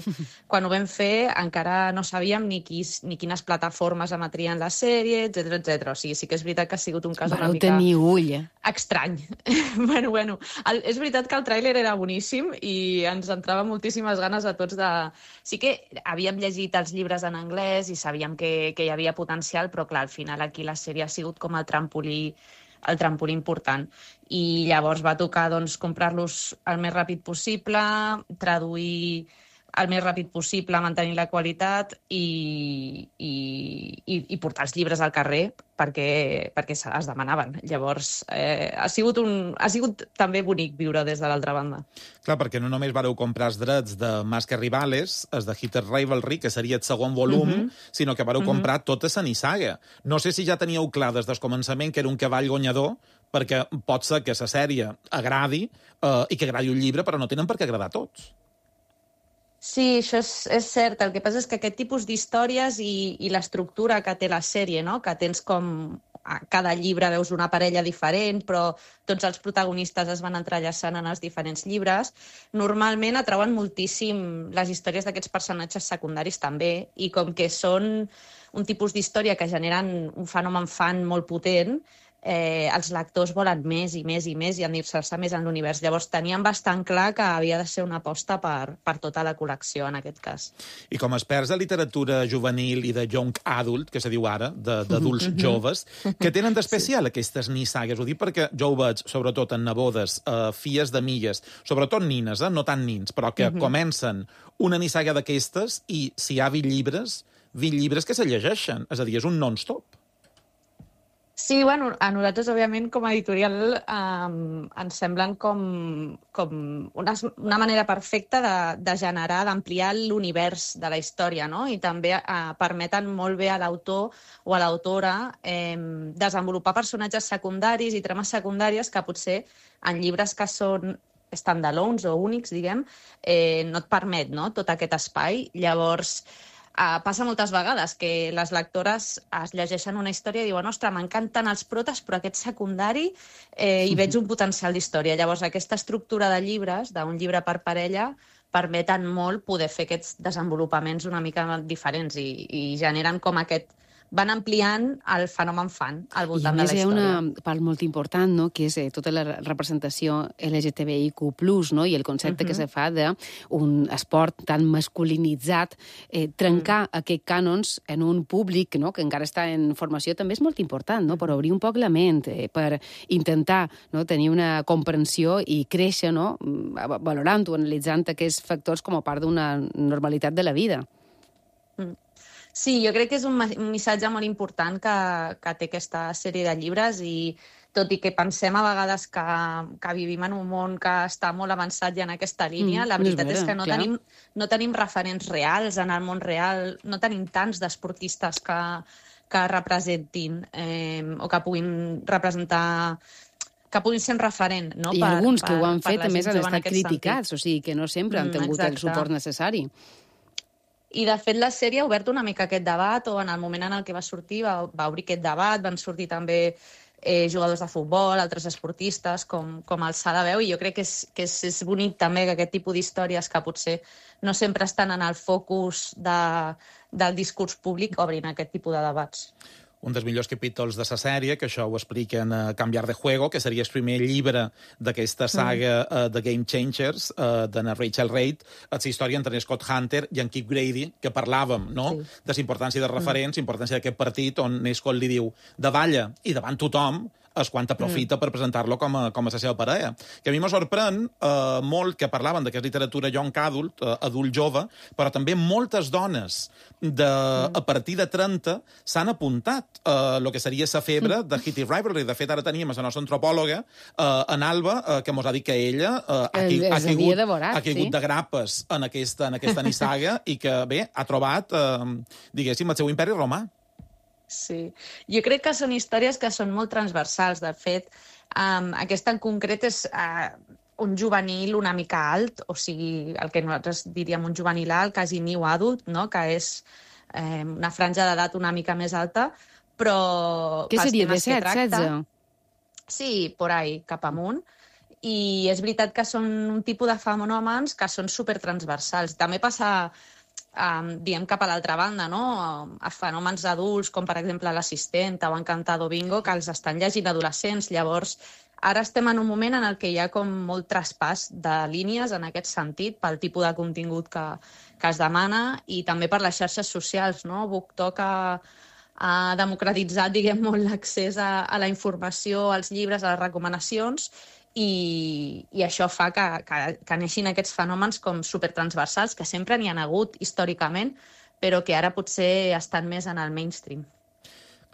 quan ho vam fer encara no sabíem ni, qui, ni quines plataformes emetrien la sèrie, etcètera, etcètera. O sigui, sí que és veritat que ha sigut un cas Vareu una mica... tenir ull, eh? Estrany. bueno, bueno, el, és veritat que el tràiler era boníssim i ens entrava moltíssimes ganes a tots de... Sí que havíem llegit els llibres en anglès i sabíem que, que hi havia potencial, però clar, al final aquí la sèrie ha sigut com el trampolí el trampolí important. I llavors va tocar doncs, comprar-los el més ràpid possible, traduir el més ràpid possible, mantenir la qualitat i, i, i, i portar els llibres al carrer perquè, perquè es demanaven. Llavors, eh, ha, sigut un, ha sigut també bonic viure des de l'altra banda. Clar, perquè no només vareu comprar els drets de Más que rivales, els de Hit It Rivalry, que seria el segon volum, mm-hmm. sinó que vareu mm-hmm. comprar tota la nissaga. No sé si ja teníeu clar des del començament que era un cavall guanyador, perquè pot ser que la sèrie agradi eh, i que agradi un llibre, però no tenen per què agradar a tots. Sí, això és, és cert. El que passa és que aquest tipus d'històries i, i l'estructura que té la sèrie, no? Que tens com a cada llibre veus una parella diferent, però tots els protagonistes es van entrellaçant en els diferents llibres, normalment atrauen moltíssim les històries d'aquests personatges secundaris també, i com que són un tipus d'història que generen un fenomen fan molt potent, eh, els lectors volen més i més i més i endinsar-se més en l'univers. Llavors teníem bastant clar que havia de ser una aposta per, per tota la col·lecció, en aquest cas. I com a experts de literatura juvenil i de young adult, que se diu ara, d'adults mm-hmm. joves, què tenen d'especial sí. aquestes nissagues? Ho dic perquè jo ho veig, sobretot en nebodes, eh, filles de milles, sobretot nines, eh, no tant nins, però que mm-hmm. comencen una nissaga d'aquestes i si hi ha vint llibres, vint llibres que se llegeixen. És a dir, és un non-stop. Sí, bueno, a nosaltres, òbviament, com a editorial, eh, ens semblen com, com una, una manera perfecta de, de generar, d'ampliar l'univers de la història, no? I també eh, permeten molt bé a l'autor o a l'autora eh, desenvolupar personatges secundaris i trames secundàries que potser en llibres que són standalones o únics, diguem, eh, no et permet, no?, tot aquest espai. Llavors, Uh, passa moltes vegades que les lectores es llegeixen una història i diuen ostres, m'encanten els protes, però aquest secundari eh, hi veig un potencial d'història. Llavors, aquesta estructura de llibres, d'un llibre per parella, permeten molt poder fer aquests desenvolupaments una mica diferents i, i generen com aquest... van ampliant el fenomen fan al voltant de la història. I a més hi ha una part molt important, no?, que és eh, tota la representació L G T B I Q plus, no?, i el concepte uh-huh. que se fa d'un esport tan masculinitzat, eh, trencar uh-huh. aquests cànons en un públic, no?, que encara està en formació, també és molt important, no?, per obrir un poc la ment, eh, per intentar, no?, tenir una comprensió i créixer, no?, valorant o analitzant aquests factors com a part d'una normalitat de la vida. Mm. Sí, jo crec que és un missatge molt important que, que té aquesta sèrie de llibres i tot i que pensem a vegades que, que vivim en un món que està molt avançat ja en aquesta línia, mm, la veritat és, vera, és que no tenim, no tenim referents reals en el món real, no tenim tants d'esportistes que, que representin eh, o que puguin representar que puguin ser un referent. No? I per, alguns per, que ho han fet, a més, han estat criticats, sentit. O sigui, que no sempre han tingut mm, el suport necessari. I, de fet, la sèrie ha obert una mica aquest debat, o en el moment en el que va sortir va, va obrir aquest debat, van sortir també eh, jugadors de futbol, altres esportistes, com, com el Sadaveu, i jo crec que és, que és, és bonic també que aquest tipus d'històries que potser no sempre estan en el focus de, del discurs públic obrin aquest tipus de debats. Un dels millors capítols de la sèrie, que això ho expliquen a Canviar de Juego, que seria el primer llibre d'aquesta saga mm. uh, de Game Changers, uh, de na Rachel Reid, la història entre Scott Hunter i en Kip Grady, que parlàvem, no?, sí. de la importància de referents, mm. importància d'aquest partit, on Scott li diu davalla i davant tothom, és quan aprofita mm. per presentar-lo com a, com a la seva parella. Que a mi me sorprèn eh, molt que parlaven que és literatura young adult, eh, adult jove, però també moltes dones de, mm. a partir de trenta s'han apuntat a eh, el que seria la febre de Hitty Rivalry. De fet, ara teníem la nostra antropòloga, eh, en Alba, eh, que mos ha dit que ella eh, ha, qui, ha, caigut, devorat, ha caigut sí? de grapes en aquesta, en aquesta nissaga i que, bé, ha trobat, eh, diguéssim, el seu imperi romà. Sí, jo crec que són històries que són molt transversals. De fet, um, aquesta en concret és uh, un juvenil una mica alt, o sigui, el que nosaltres diríem un juvenil alt, quasi new adult, no?, que és um, una franja d'edat una mica més alta, però... Què seria, disset, setze? Sí, por ahí, cap amunt. I és veritat que són un tipus de fenòmens que són supertransversals. També passa... Um, diem cap a l'altra banda, no? A fenòmens adults, com per exemple l'assistent o Encantado Bingo, que els estan llegint adolescents. Llavors, ara estem en un moment en el que hi ha com molt traspàs de línies en aquest sentit, pel tipus de contingut que, que es demana i també per les xarxes socials, no? BookTok ha, ha democratitzat, diguem, molt l'accés a, a la informació, als llibres, a les recomanacions, I, i això fa que, que, que neixin aquests fenòmens com supertransversals, que sempre n'hi ha hagut històricament, però que ara potser estan més en el mainstream.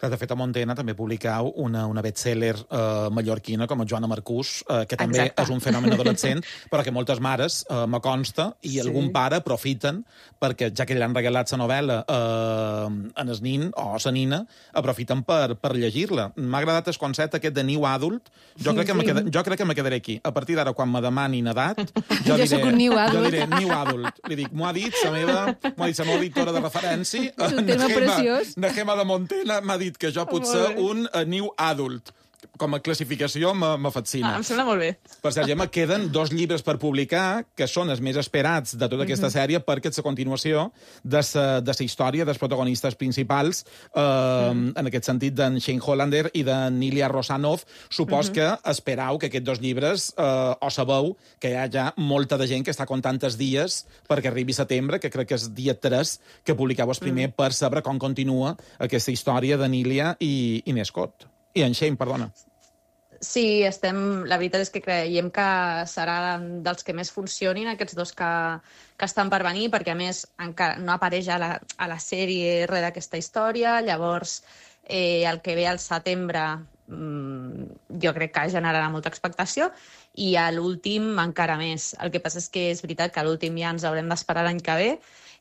De fet, a Montena també publicau una, una bestseller eh, mallorquina com a Joana Marcús, eh, que també Exacte. És un fenomen adolescent, però que moltes mares, eh, me consta, i sí. algun pare aprofiten, perquè ja que li han regalat la novel·la eh, en el nin o la nina, aprofiten per, per llegir-la. M'ha agradat el concepte aquest de new adult. Jo crec que, sí. queda, jo crec que me quedaré aquí. A partir d'ara, quan me demanin edat, jo, jo diré, new jo diré new adult. Li dic, m'ho ha dit la meva, m'ho ha dit la meva editora de referència, és un tema preciós. Na Gemma de Montena m'ha dit que jo potser un uh, new adult. Com a classificació me fascina. Ah, em sembla molt bé. Per cert, Gemma, queden dos llibres per publicar, que són els més esperats de tota aquesta mm -hmm. sèrie, perquè és la continuació de la història dels protagonistes principals, eh, mm. en aquest sentit d'en Shane Hollander i de Nilia Rosanov. Supos mm -hmm. que esperau que aquests dos llibres, eh, o sabeu que hi ha ja molta de gent que està comptant els dies perquè arribi setembre, que crec que és dia tres, que publicau el primer mm. per saber com continua aquesta història de Nilia i, i Nescott. I en Shane, perdona. Sí, estem, la veritat és que creiem que serà dels que més funcionin aquests dos que, que estan per venir, perquè a més encara no apareix a la, a la sèrie res d'aquesta història, llavors eh, el que ve al setembre mmm, jo crec que generarà molta expectació, i a l'últim encara més. El que passa és que és veritat que a l'últim ja ens haurem d'esperar l'any que ve.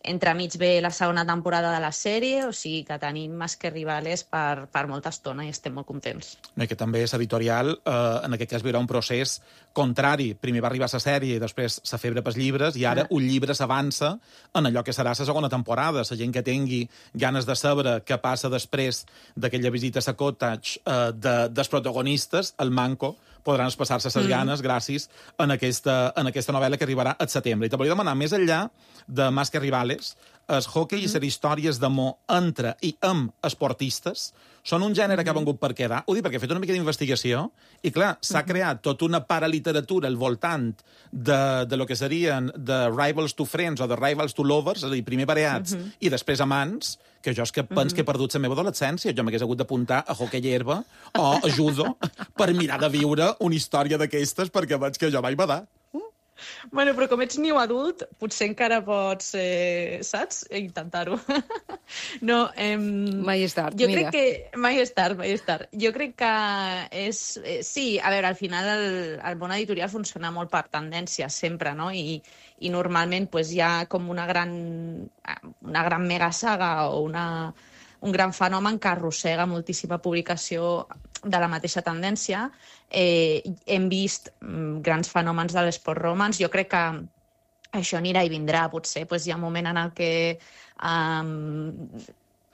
Entremig ve la segona temporada de la sèrie, o sigui que tenim Más que Rivales per, per molta estona i estem molt contents. I que també és editorial, eh, en aquest cas hi haurà un procés contrari. Primer va arribar la sèrie i després la febre pels llibres, i ara un llibre s'avança en allò que serà la segona temporada. La gent que tingui ganes de saber què passa després d'aquella visita a la cottage eh, de, dels protagonistes, el manco, podran passar-se les mm. ganes gràcies en aquesta, en aquesta novel·la que arribarà al setembre. I te volia demanar, més enllà de Más que Rivales, el hockey mm. i les històries d'amor entre i amb esportistes són un gènere mm. que ha vengut per quedar. Ho dic perquè he fet una mica d'investigació i, clar, s'ha mm. creat tota una paraliteratura al voltant de, de lo que serien de Rivals to Friends o de Rivals to Lovers, és a dir, primer pareats mm -hmm. i després amants, que jo és que penso mm -hmm. que he perdut la meva adolescència. Jo m'hagués hagut d'apuntar a hockey i herba o a judo per mirar de viure una història d'aquestes, perquè veig que jo vaig badar. Bueno, però com ets niu adult, potser encara pots, eh, saps, intentar-ho. No, eh, mai és tard, jo mira. crec que... Mai és tard, mai és tard. Jo crec que és... Eh, sí, a veure, al final el, el món editorial funciona molt per tendències, sempre, no? I, i normalment pues, hi ha com una gran, una gran mega saga o una, un gran fenomen que arrossega moltíssima publicació de la mateixa tendència. Eh, hem vist mm, grans fenòmens de l'esport romance. Jo crec que això anirà i vindrà. Potser pues, hi ha un moment en el que um,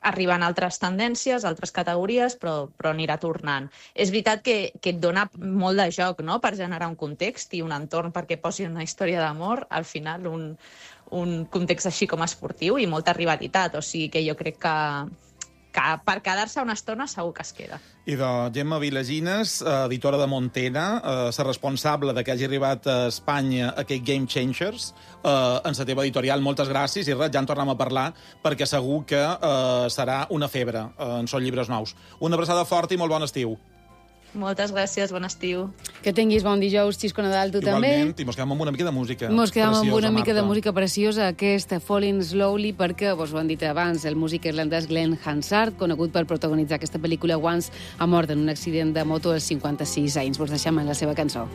arriben altres tendències, altres categories, però, però anirà tornant. És veritat que, que et dona molt de joc, no?, per generar un context i un entorn perquè posi una història d'amor, al final un, un context així com esportiu i molta rivalitat. O sigui que jo crec que que per quedar-se una estona segur que es queda. I de Gemma Vilagines, editora de Montena, eh, la responsable de que hagi arribat a Espanya aquest Game Changers, eh, en la teva editorial, moltes gràcies, i res, ja en tornem a parlar, perquè segur que eh, serà una febre eh, en Són llibres nous. Una abraçada forta i molt bon estiu. Moltes gràcies, bon estiu. Que tinguis bon dijous, Xisco Nadal, tu Igualment, també. Igualment, i mos quedem amb una mica de música. Mos quedem amb una mica Marta. de música preciosa, aquesta Falling Slowly, perquè, vos ho han dit abans, el músic irlandès Glenn Hansard, conegut per protagonitzar aquesta pel·lícula Once, ha mort en un accident de moto als cinquanta-sis anys. Vos deixem en la seva cançó.